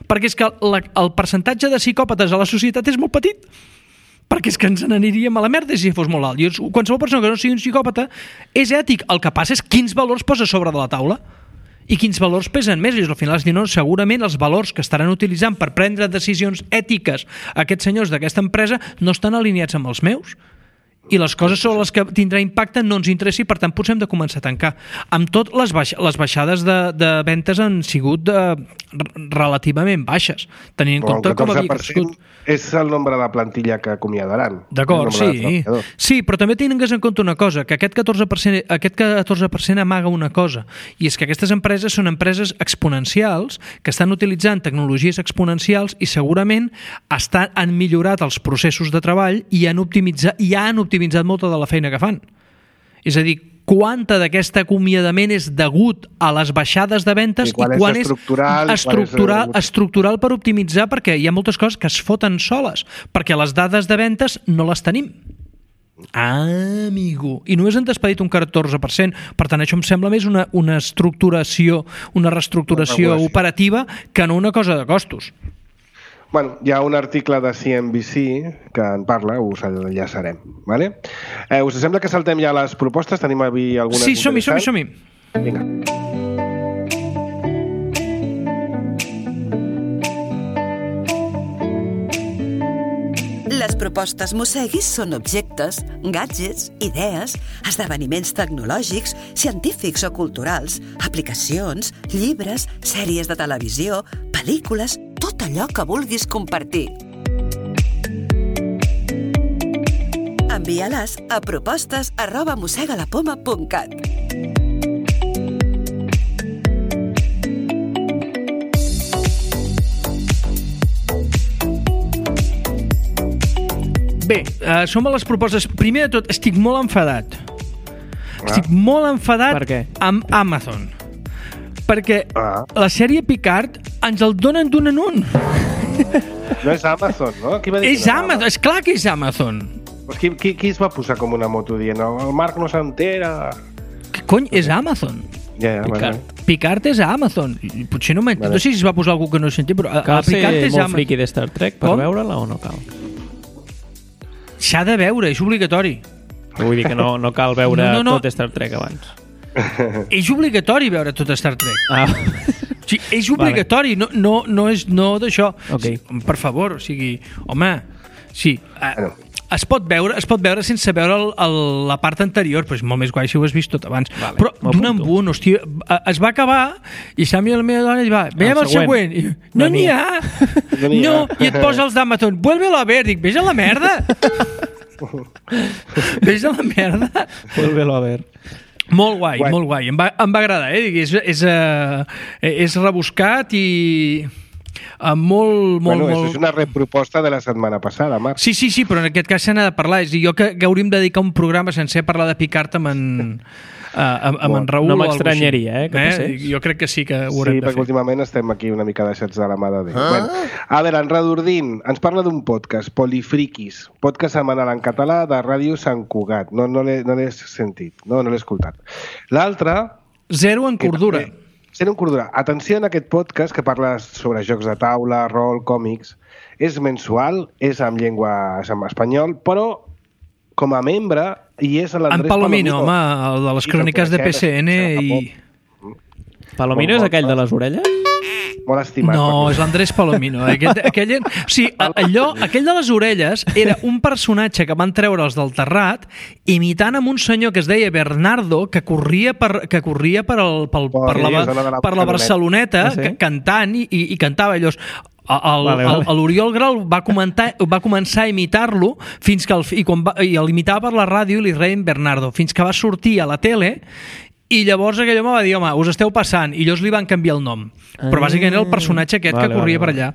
Perquè és que la, el percentatge de psicòpates a la societat és molt petit. Perquè és que ens n'aniríem a la merda si fos molt alt. I qualsevol persona que no sigui un psicòpata és ètic. El que passa és quins valors posa sobre de la taula i quins valors pesen més. I al final es diu, no, segurament els valors que estaran utilitzant per prendre decisions ètiques aquests senyors d'aquesta empresa no estan alineats amb els meus. I les coses sobre les que tindrà impacte no ens interessa i, per tant, potser hem de començar a tancar. Amb tot, les, baix les baixades de, de ventes han sigut de, relativament baixes, tenint en compte com havia crescut. És el nombre de plantilla que acomiadaran. D'acord, sí. Sí, però també tingues en compte una cosa, que aquest catorze per cent, aquest catorze per cent amaga una cosa, i és que aquestes empreses són empreses exponencials que estan utilitzant tecnologies exponencials i segurament estan, han millorat els processos de treball i han optimitzat, i han optimitzat molta de la feina que fan. És a dir, quanta d'aquest acomiadament és degut a les baixades de ventes i quan, i quan és estructural, és estructural, és... estructural per optimitzar, perquè hi ha moltes coses que es foten soles, perquè les dades de ventes no les tenim. Ah, amigo. I només han despedit un catorze per cent. Per tant, això em sembla més una, una estructuració, una reestructuració una operativa que no una cosa de costos. Bueno, hi ha un article de C N B C que en parla, us enllaçarem. Vale? Eh, us sembla que saltem ja les propostes? Tenim avui algunes sí, som-hi, som-hi, som-hi. Vinga. Les propostes Mosseguis són objectes, gadgets, idees, esdeveniments tecnològics, científics o culturals, aplicacions, llibres, sèries de televisió, pel·lícules, tot allò que vulguis compartir. Envia-les a propostes arroba mossegalapoma punt cat. Bé, uh, som a les propostes. Primer de tot, estic molt enfadat. Ah. Estic molt enfadat per què? Amb Amazon. Perquè ah. la sèrie Picard ens el donen d'un en un. No és Amazon, no? Qui va dir és no Amazon, és clar que és Amazon. Pues qui, qui, qui es va posar com una moto dient el Marc no s'entera? Què cony? És Amazon. Ja, ja, Picard. Bueno. Picard és a Amazon. Potser no m'entén. Vale. No sé si es va posar algú que no sentia, però cal a Picard ser és molt Amazon. friqui de Star Trek per veure-la o no cal? S'ha de veure, és obligatori. Vull dir que no, no cal veure no, no, no. tot Star Trek abans. És obligatori veure tot Star Trek. Ah. Sí, és obligatori, vale. no, no, no és no d'això. Okay. Per favor, o sigui, home, sí. Bueno. es pot veure, es pot veure sense veure el, el, la part anterior, però és molt més guai si ho has vist tot abans. Vale, però d'un en un, hòstia, es va acabar i Samuel, la meva dona, va, veiem el següent. I, no n'hi ha. No, no, i et posa els d'Amazon. Vuelve-lo a ver. Dic, vés a la merda. Vés a la merda. Vuelve-lo a ver. Molt guai, guai, molt guai. Em va, em va agradar, eh? És, és, uh, és rebuscat i... Uh, molt, molt, bueno, molt... és una reproposta de la setmana passada, Marc. Sí, sí, sí, però en aquest cas se n'ha de parlar. És a dir, jo que, que hauríem de dedicar un programa sencer a parlar de Picard amb en, uh, amb, amb en Raül. No eh? m'estranyaria, eh, que passés. Jo crec que sí que ho Sí, haurem de perquè fer. últimament estem aquí una mica deixats de la mà de Déu. Ah? Bueno, a veure, en Redordín ens parla d'un podcast, Polifriquis, podcast setmanal en català de Ràdio Sant Cugat. No, no l'he no sentit, no, no l'he escoltat. L'altre... Zero en cordura. Zero en cordura. Atenció en aquest podcast que parla sobre jocs de taula, rol, còmics. És mensual, és en llengua és en espanyol, però com a membre hi és l'Andrés En Palomino, Palomino, home, el de les Sí, cròniques de que P C N i... Palomino és aquell de les orelles? Molt estimat. No, per és l'Andrés Palomino. Aquell, aquell, o sigui, allò, aquell de les orelles era un personatge que van treure'ls del terrat imitant amb un senyor que es deia Bernardo, que corria per, que corria per, el, pel, Oh, per, la, sí, zona de la per la Barceloneta, Ah, sí? que, cantant i, i, i cantava allò. El, Vale, el, vale. el, l'Oriol Grau va, comentar, va començar a imitar-lo fins que el, i, quan va, i l'imitava per la ràdio i li reien Bernardo, fins que va sortir a la tele. I llavors aquell home va dir, home, us esteu passant, i llavors li van canviar el nom. Però bàsicament era el personatge aquest Vale, que corria vale, per allà.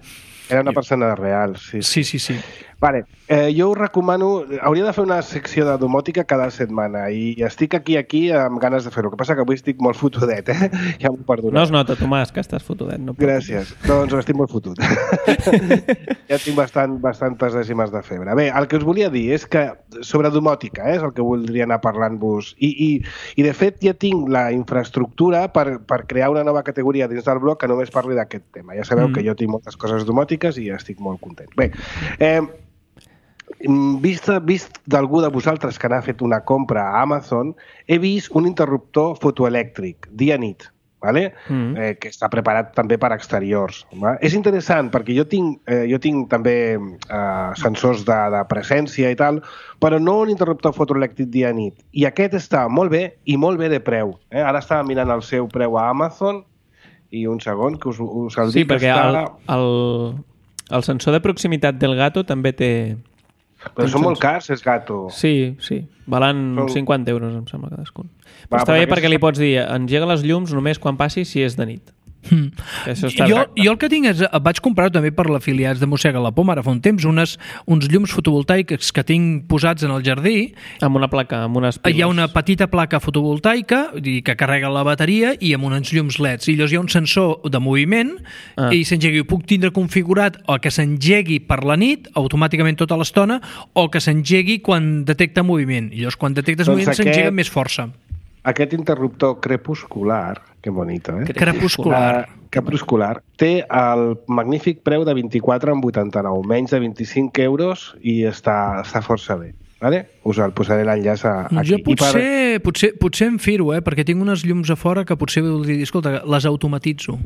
Era una persona real, sí. Sí, sí, sí. Vale, eh, jo us recomano... Hauria de fer una secció de domòtica cada setmana i estic aquí, aquí, amb ganes de fer-ho. El que passa que avui estic molt fotudet, eh? Ja m'ho perdoneu. No es nota, Tomàs, que estàs fotudet. No Gràcies. Doncs estic molt fotut. Ja tinc bastant, bastantes dècimes de febre. Bé, el que us volia dir és que sobre domòtica, eh, és el que voldria anar parlant-vos. I, i, I, de fet, ja tinc la infraestructura per, per crear una nova categoria dins del blog que només parli d'aquest tema. Ja sabeu mm. que jo tinc moltes coses domòtiques i estic molt content. Bé, eh, vist, vist d'algú de vosaltres que n'ha fet una compra a Amazon, he vist un interruptor fotoelèctric, dia-nit, vale? mm. eh, que està preparat també per exteriors. Va? És interessant perquè jo tinc, eh, jo tinc també eh, sensors de, de presència i tal, però no un interruptor fotoelèctric dia-nit. I aquest està molt bé i molt bé de preu. Eh? Ara estava mirant el seu preu a Amazon i un segon que us, us el Sí, dic. perquè està... el, el, el sensor de proximitat del Gato també té... Però són molt cars, és Gato. Sí, sí. Valen Són- cinquanta euros, em sembla, cadascun. Però Va, està però bé aquest- perquè li pots dir engega les llums només quan passi si és de nit. Mm. Que això està Jo, exacte. jo el que tinc és, vaig comprar també per l'afiliats de Mossega la Poma ara fa un temps, unes, uns llums fotovoltaics que tinc posats en el jardí. Amb una placa, amb unes piles. Hi ha una petita placa fotovoltaica i que carrega la bateria i amb uns llums L E Ds. I llavors hi ha un sensor de moviment Ah. i s'engegui. Ho puc tindre configurat o que s'engegui per la nit, automàticament tota l'estona, o que s'engegui quan detecta moviment. I llavors quan detectes Doncs moviment aquest- s'engega amb més força. Aquest interruptor crepuscular, que bonito, eh? Crepuscular. Uh, crepuscular, té el magnífic preu de vint-i-quatre amb vuitanta-nou, menys de vint-i-cinc euros i està, està força bé. Vale? Us el posaré l'enllaç a- aquí. Jo potser, per... potser, potser em firo, eh? Perquè tinc unes llums a fora que potser voldria dir, escolta, les automatitzo.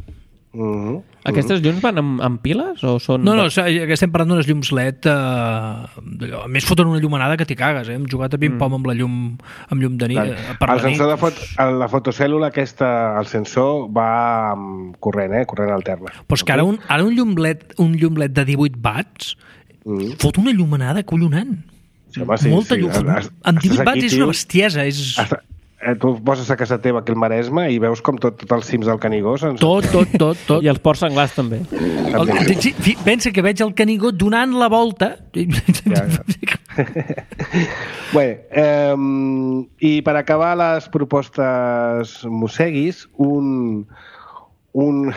Mm -hmm. Aquestes llums van amb, amb piles o són... No, no, que estem parlant d'unes llums L E D, eh, a més foten una llumenada que t'hi cagues, eh? Hem jugat a ping-pong mm. amb la llum, amb llum de nit. Clar. Eh, per El la nit. sensor de fot... la fotocèl·lula aquesta, el sensor va amb corrent, eh? Corrent alterne. Però és que ara un, ara un llum L E D, un llum L E D de divuit watts Mm. fot una llumenada collonant. Sí, home, sí, Molta sí. llum. Estàs Amb divuit aquí, watts és tio. una bestiesa. És... Està... Eh, tu poses a casa teva aquí al Maresme i veus com tot, tot els cims del Canigó se'ns... Tot, tot, tot, tot. I els ports senglars també. El, sí, sí, pensa que veig el Canigó donant la volta. Ja, ja. Bé, eh, i per acabar les propostes mosseguis, un, un,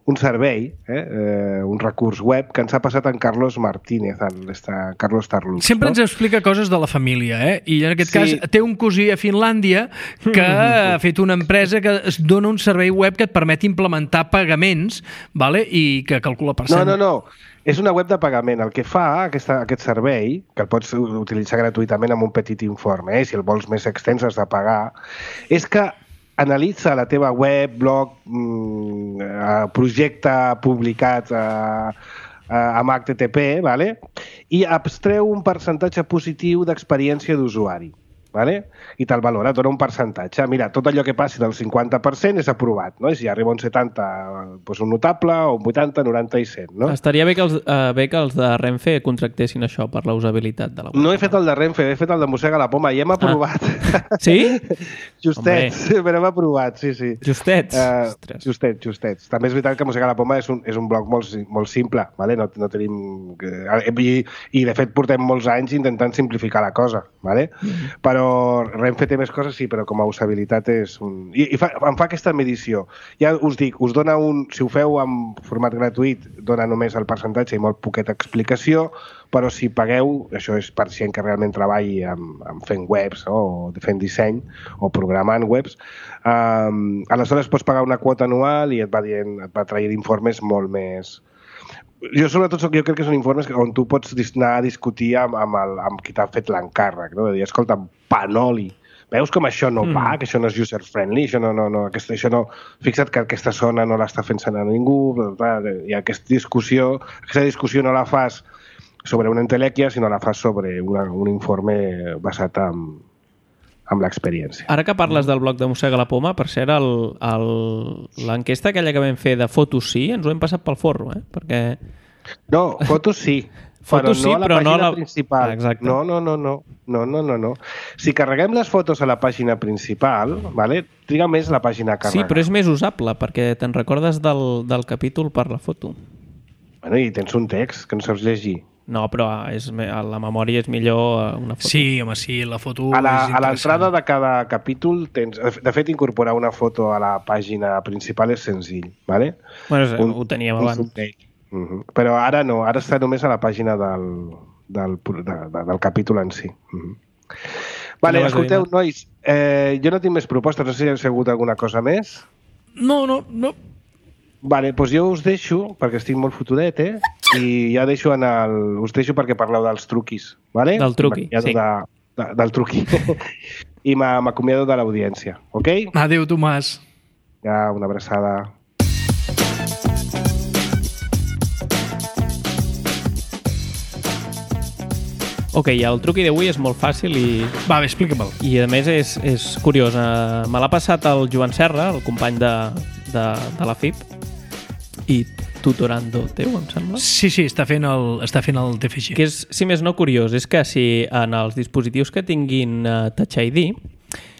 un servei, eh, eh, un recurs web que ens ha passat en Carlos Martínez, en esta, Carlos Tarlux. Sempre no? ens explica coses de la família, eh? I en aquest Sí. cas té un cosí a Finlàndia que ha fet una empresa que es dona un servei web que et permet implementar pagaments, vale? I que calcula per No, cent. no, no. És una web de pagament. El que fa aquesta, aquest servei, que el pots utilitzar gratuïtament amb un petit informe, eh? Si el vols més extens has de pagar, és que analitza la teva web, blog, mmm, projecte publicat a, amb H T T P, vale? I abstreu un percentatge positiu d'experiència d'usuari. Vale? I te'l valora, dona un percentatge. Mira, tot allò que passi del cinquanta per cent és aprovat, no? I si arriba un setanta, doncs un notable, o un vuitanta, noranta i cent, no? Estaria bé que els, uh, bé que els de Renfe contractessin això per la usabilitat de la web. No he fet el de Renfe, he fet el de Mossega la Poma i hem aprovat. Ah. Sí? Justets, Hombre. però hem aprovat, sí, sí. Justets? Uh, justets, justets. També és veritat que Mossega la Poma és un, és un blog molt, molt simple, vale? no, no tenim... I, I, de fet, portem molts anys intentant simplificar la cosa, vale? Mm-hmm. Però Renfe té més coses, sí, però com a usabilitat és un... I, i fa, em fa aquesta medició. Ja us dic, us dona un... Si ho feu en format gratuït, dona només el percentatge i molt poqueta explicació, però si pagueu, això és per gent que realment treballi amb, amb fent webs o fent disseny o programant webs, um, aleshores pots pagar una quota anual i et va, dient, et va traient informes molt més... Jo sobretot jo crec que són informes on tu pots anar a discutir amb, amb, el, amb qui t'ha fet l'encàrrec, no? De dir, escolta, panoli, veus com això no va, mm. que això no és user-friendly, això no, no, no, aquesta, això no, fixa't que aquesta zona no l'està fent a ningú, i aquesta discussió, aquesta discussió no la fas sobre una entelèquia, sinó la fas sobre una, un informe basat en, amb l'experiència. Ara que parles del blog de Mossega la Poma, per cert, l'enquesta aquella que vam fer de fotos sí, ens ho hem passat pel forro, eh? Perquè... No, fotos sí, fotos però no sí, a la però pàgina no la... principal. Exacte. No, no, no, no, no, no, no, no. Si carreguem les fotos a la pàgina principal, vale, triga més la pàgina a carregar. Sí, però és més usable, perquè te'n recordes del, del capítol per la foto. Bueno, i tens un text que no saps llegir. No, però és, la memòria és millor una foto. Sí, home, sí, la foto a la, és a l'entrada de cada capítol tens... De fet, incorporar una foto a la pàgina principal és senzill, ¿vale? Bueno, un, ho teníem abans. Uh -huh. Però ara no, ara està només a la pàgina del, del, de, de, del capítol en si. Uh -huh. Vale, escolteu, nois, eh, jo no tinc més propostes, no sé si hi ha sigut alguna cosa més. No, no, no. Vale, doncs jo us deixo, perquè estic molt fotudet, eh? I ja deixo en el... us deixo perquè parleu dels truquis, vale? Del truqui, sí. De, de, del truqui. I m'acomiado de l'audiència, ok? Adéu, Tomàs. Ja, una abraçada. Ok, el truqui d'avui és molt fàcil i... Va, bé, explica-me'l. I a més és, és curiós. Uh, me l'ha passat el Joan Serra, el company de, de, de la F I P, i tutorando teu, em sembla? Sí, sí, està fent el, està fent el T F G. Que és, si més no, curiós, és que si en els dispositius que tinguin uh, Touch I D,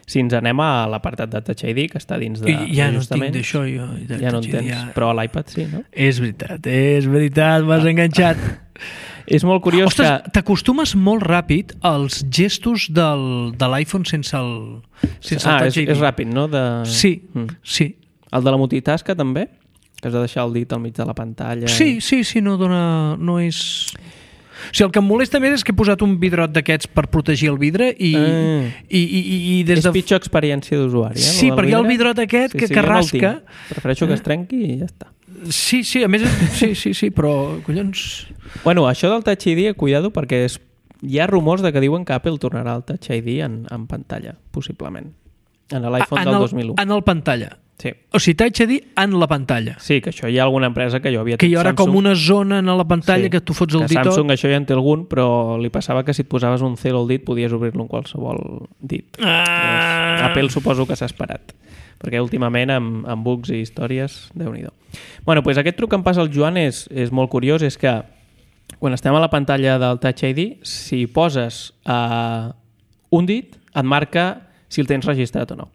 si ens anem a l'apartat de Touch I D, que està dins de... I ja no tinc d'això, jo. De ja no en tens, ja... però a l'iPad sí, no? És veritat, és veritat, m'has ah. enganxat. És molt curiós. Ostres, que... t'acostumes molt ràpid als gestos del, de l'iPhone sense el, sense ah, el Touch és, I D. és ràpid, no? De... Sí, mm. sí. El de la multitasca també? Que has de deixar el dit al mig de la pantalla. Sí, i... sí, sí, no dona... No és... O sigui, el que em molesta més és que he posat un vidrot d'aquests per protegir el vidre i... Mm. i, i, i des és de... pitjor experiència d'usuari, eh? Sí, perquè hi ha el vidrot aquest sí, que, sí, que rasca... No prefereixo que es trenqui i ja està. Sí, sí, a més... Sí, sí, sí, però... Collons... Bueno, això del Touch I D, cuidado, perquè és... hi ha rumors de que diuen que Apple tornarà el Touch I D en, en pantalla, possiblement. En l'iPhone del el, dos mil u. En el pantalla. Sí. O sigui, Touch I D en la pantalla. Sí, que això hi ha alguna empresa que jo havia... Que hi haurà com una zona en la pantalla sí, que tu fots el dit. Samsung això ja en té algun, però li passava que si et posaves un cero al dit podies obrir-lo en qualsevol dit. Ah. Apple suposo que s'ha esperat, perquè últimament amb, amb bugs i històries, Déu-n'hi-do. Bueno, doncs aquest truc que em passa el Joan és, és molt curiós, és que quan estem a la pantalla del Touch I D, si poses uh, un dit, et marca si el tens registrat o no.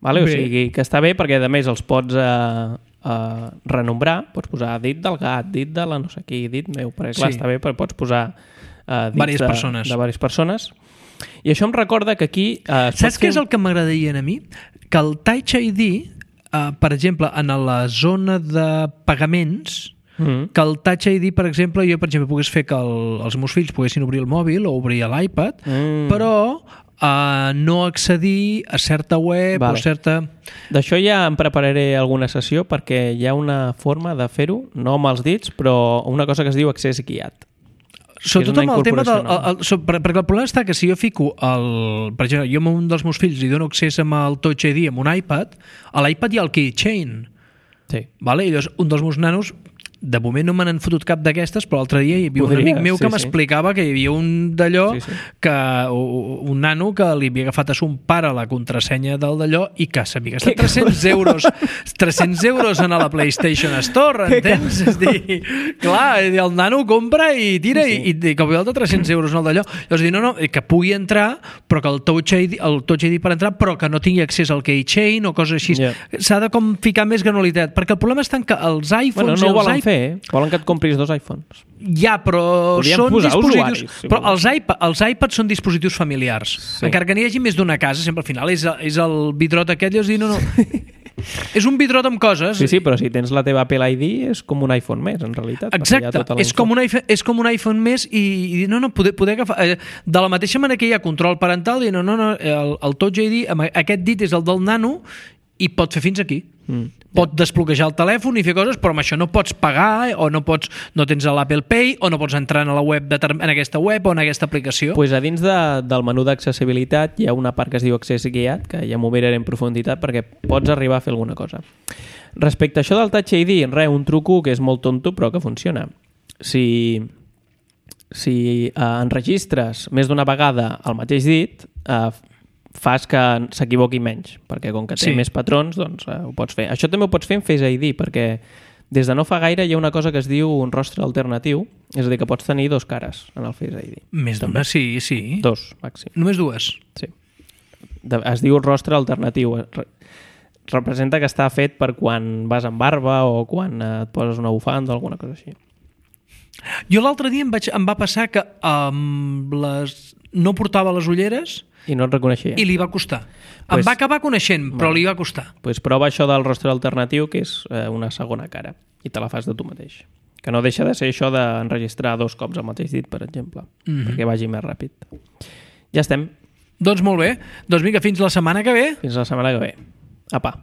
Vale? O sigui, que està bé perquè a més els pots uh, uh, renombrar, pots posar dit del gat, dit de la no sé qui, dit meu, perquè clar, sí. Està bé perquè pots posar uh, dits Vàries de, persones. de diverses persones. I això em recorda que aquí... Uh, Saps què és el que m'agradaria a mi? Que el Touch I D, uh, per exemple, en la zona de pagaments, mm. que el Touch I D, per exemple, jo, per exemple, pogués fer que el, els meus fills poguessin obrir el mòbil o obrir l'iPad, mm. però... Uh, no accedir a certa web vale. O certa... D'això ja em prepararé alguna sessió perquè hi ha una forma de fer-ho, no amb els dits, però una cosa que es diu accés guiat. Sobretot amb el tema del... El, el, so, perquè el problema està que si jo fico el... Per exemple, jo amb un dels meus fills li dono accés amb el Touch I D amb un iPad, a l'iPad hi ha el keychain. Sí. Vale? I doncs un dels meus nanos de moment no me n'han fotut cap d'aquestes, però l'altre dia hi havia Podria, un amic meu sí, que sí. m'explicava que hi havia un d'allò, Sí, sí. que un nano que li havia agafat a son pare la contrasenya del d'allò i que s'havia gastat tres-cents euros tres-cents euros en la PlayStation Store, entens? És dir, clar, el nano compra i tira Sí, sí. i, i que vull altre tres-cents euros en el d'allò. Llavors dir, no, no, que pugui entrar, però que el Touch I D, el Touch I D per entrar, però que no tingui accés al keychain o coses així. Ja. S'ha de com ficar més granularitat, perquè el problema està en que els iPhones Bueno, no i ho els volen iPads... fer, eh? Volen que et compris dos iPhones. Ja, però Podríem són posar dispositius... usuaris, si però vols. els, iPad, els iPads són dispositius familiars. Sí. Encara que n'hi hagi més d'una casa, sempre al final és, és el vidrot aquest, i us dir, no, no... és un vidrot amb coses. Sí, sí, però si tens la teva Apple I D és com un iPhone més, en realitat. Exacte, és com, un iPhone, és com un iPhone més i, i no, no, poder, poder agafar... Eh, de la mateixa manera que hi ha control parental, i no, no, no, el, el Touch I D, amb aquest dit és el del nano i pot fer fins aquí. Mm. Pot desbloquejar el telèfon i fer coses, però amb això no pots pagar o no pots no tens l'Apple Pay o no pots entrar en la web de, en aquesta web o en aquesta aplicació. Pues a dins de, del menú d'accessibilitat hi ha una part que es diu accés guiat, que ja m'ho miraré en profunditat perquè pots arribar a fer alguna cosa. Respecte a això del Touch I D, res, un truco que és molt tonto però que funciona. Si, si eh, enregistres més d'una vegada el mateix dit, eh, fas que s'equivoqui menys, perquè com que té Sí. més patrons, doncs eh, ho pots fer. Això també ho pots fer en Face I D, perquè des de no fa gaire hi ha una cosa que es diu un rostre alternatiu, és a dir, que pots tenir dos cares en el Face I D. Més d'una, sí, sí. Dos, màxim. Només dues. Sí. De, es diu rostre alternatiu. Re, representa que està fet per quan vas amb barba o quan eh, et poses una bufanda o alguna cosa així. Jo l'altre dia em, vaig, em va passar que um, les, no portava les ulleres I no et reconeixia. i li va costar. Pues- em va acabar coneixent, però Vale. li va costar. Pues prova això del rostre alternatiu, que és eh, una segona cara, i te la fas de tu mateix. Que no deixa de ser això d'enregistrar dos cops el mateix dit, per exemple, Mhm. perquè vagi més ràpid. Ja estem. Doncs molt bé. Doncs vinga, fins la setmana que ve. Fins la setmana que ve. Apa.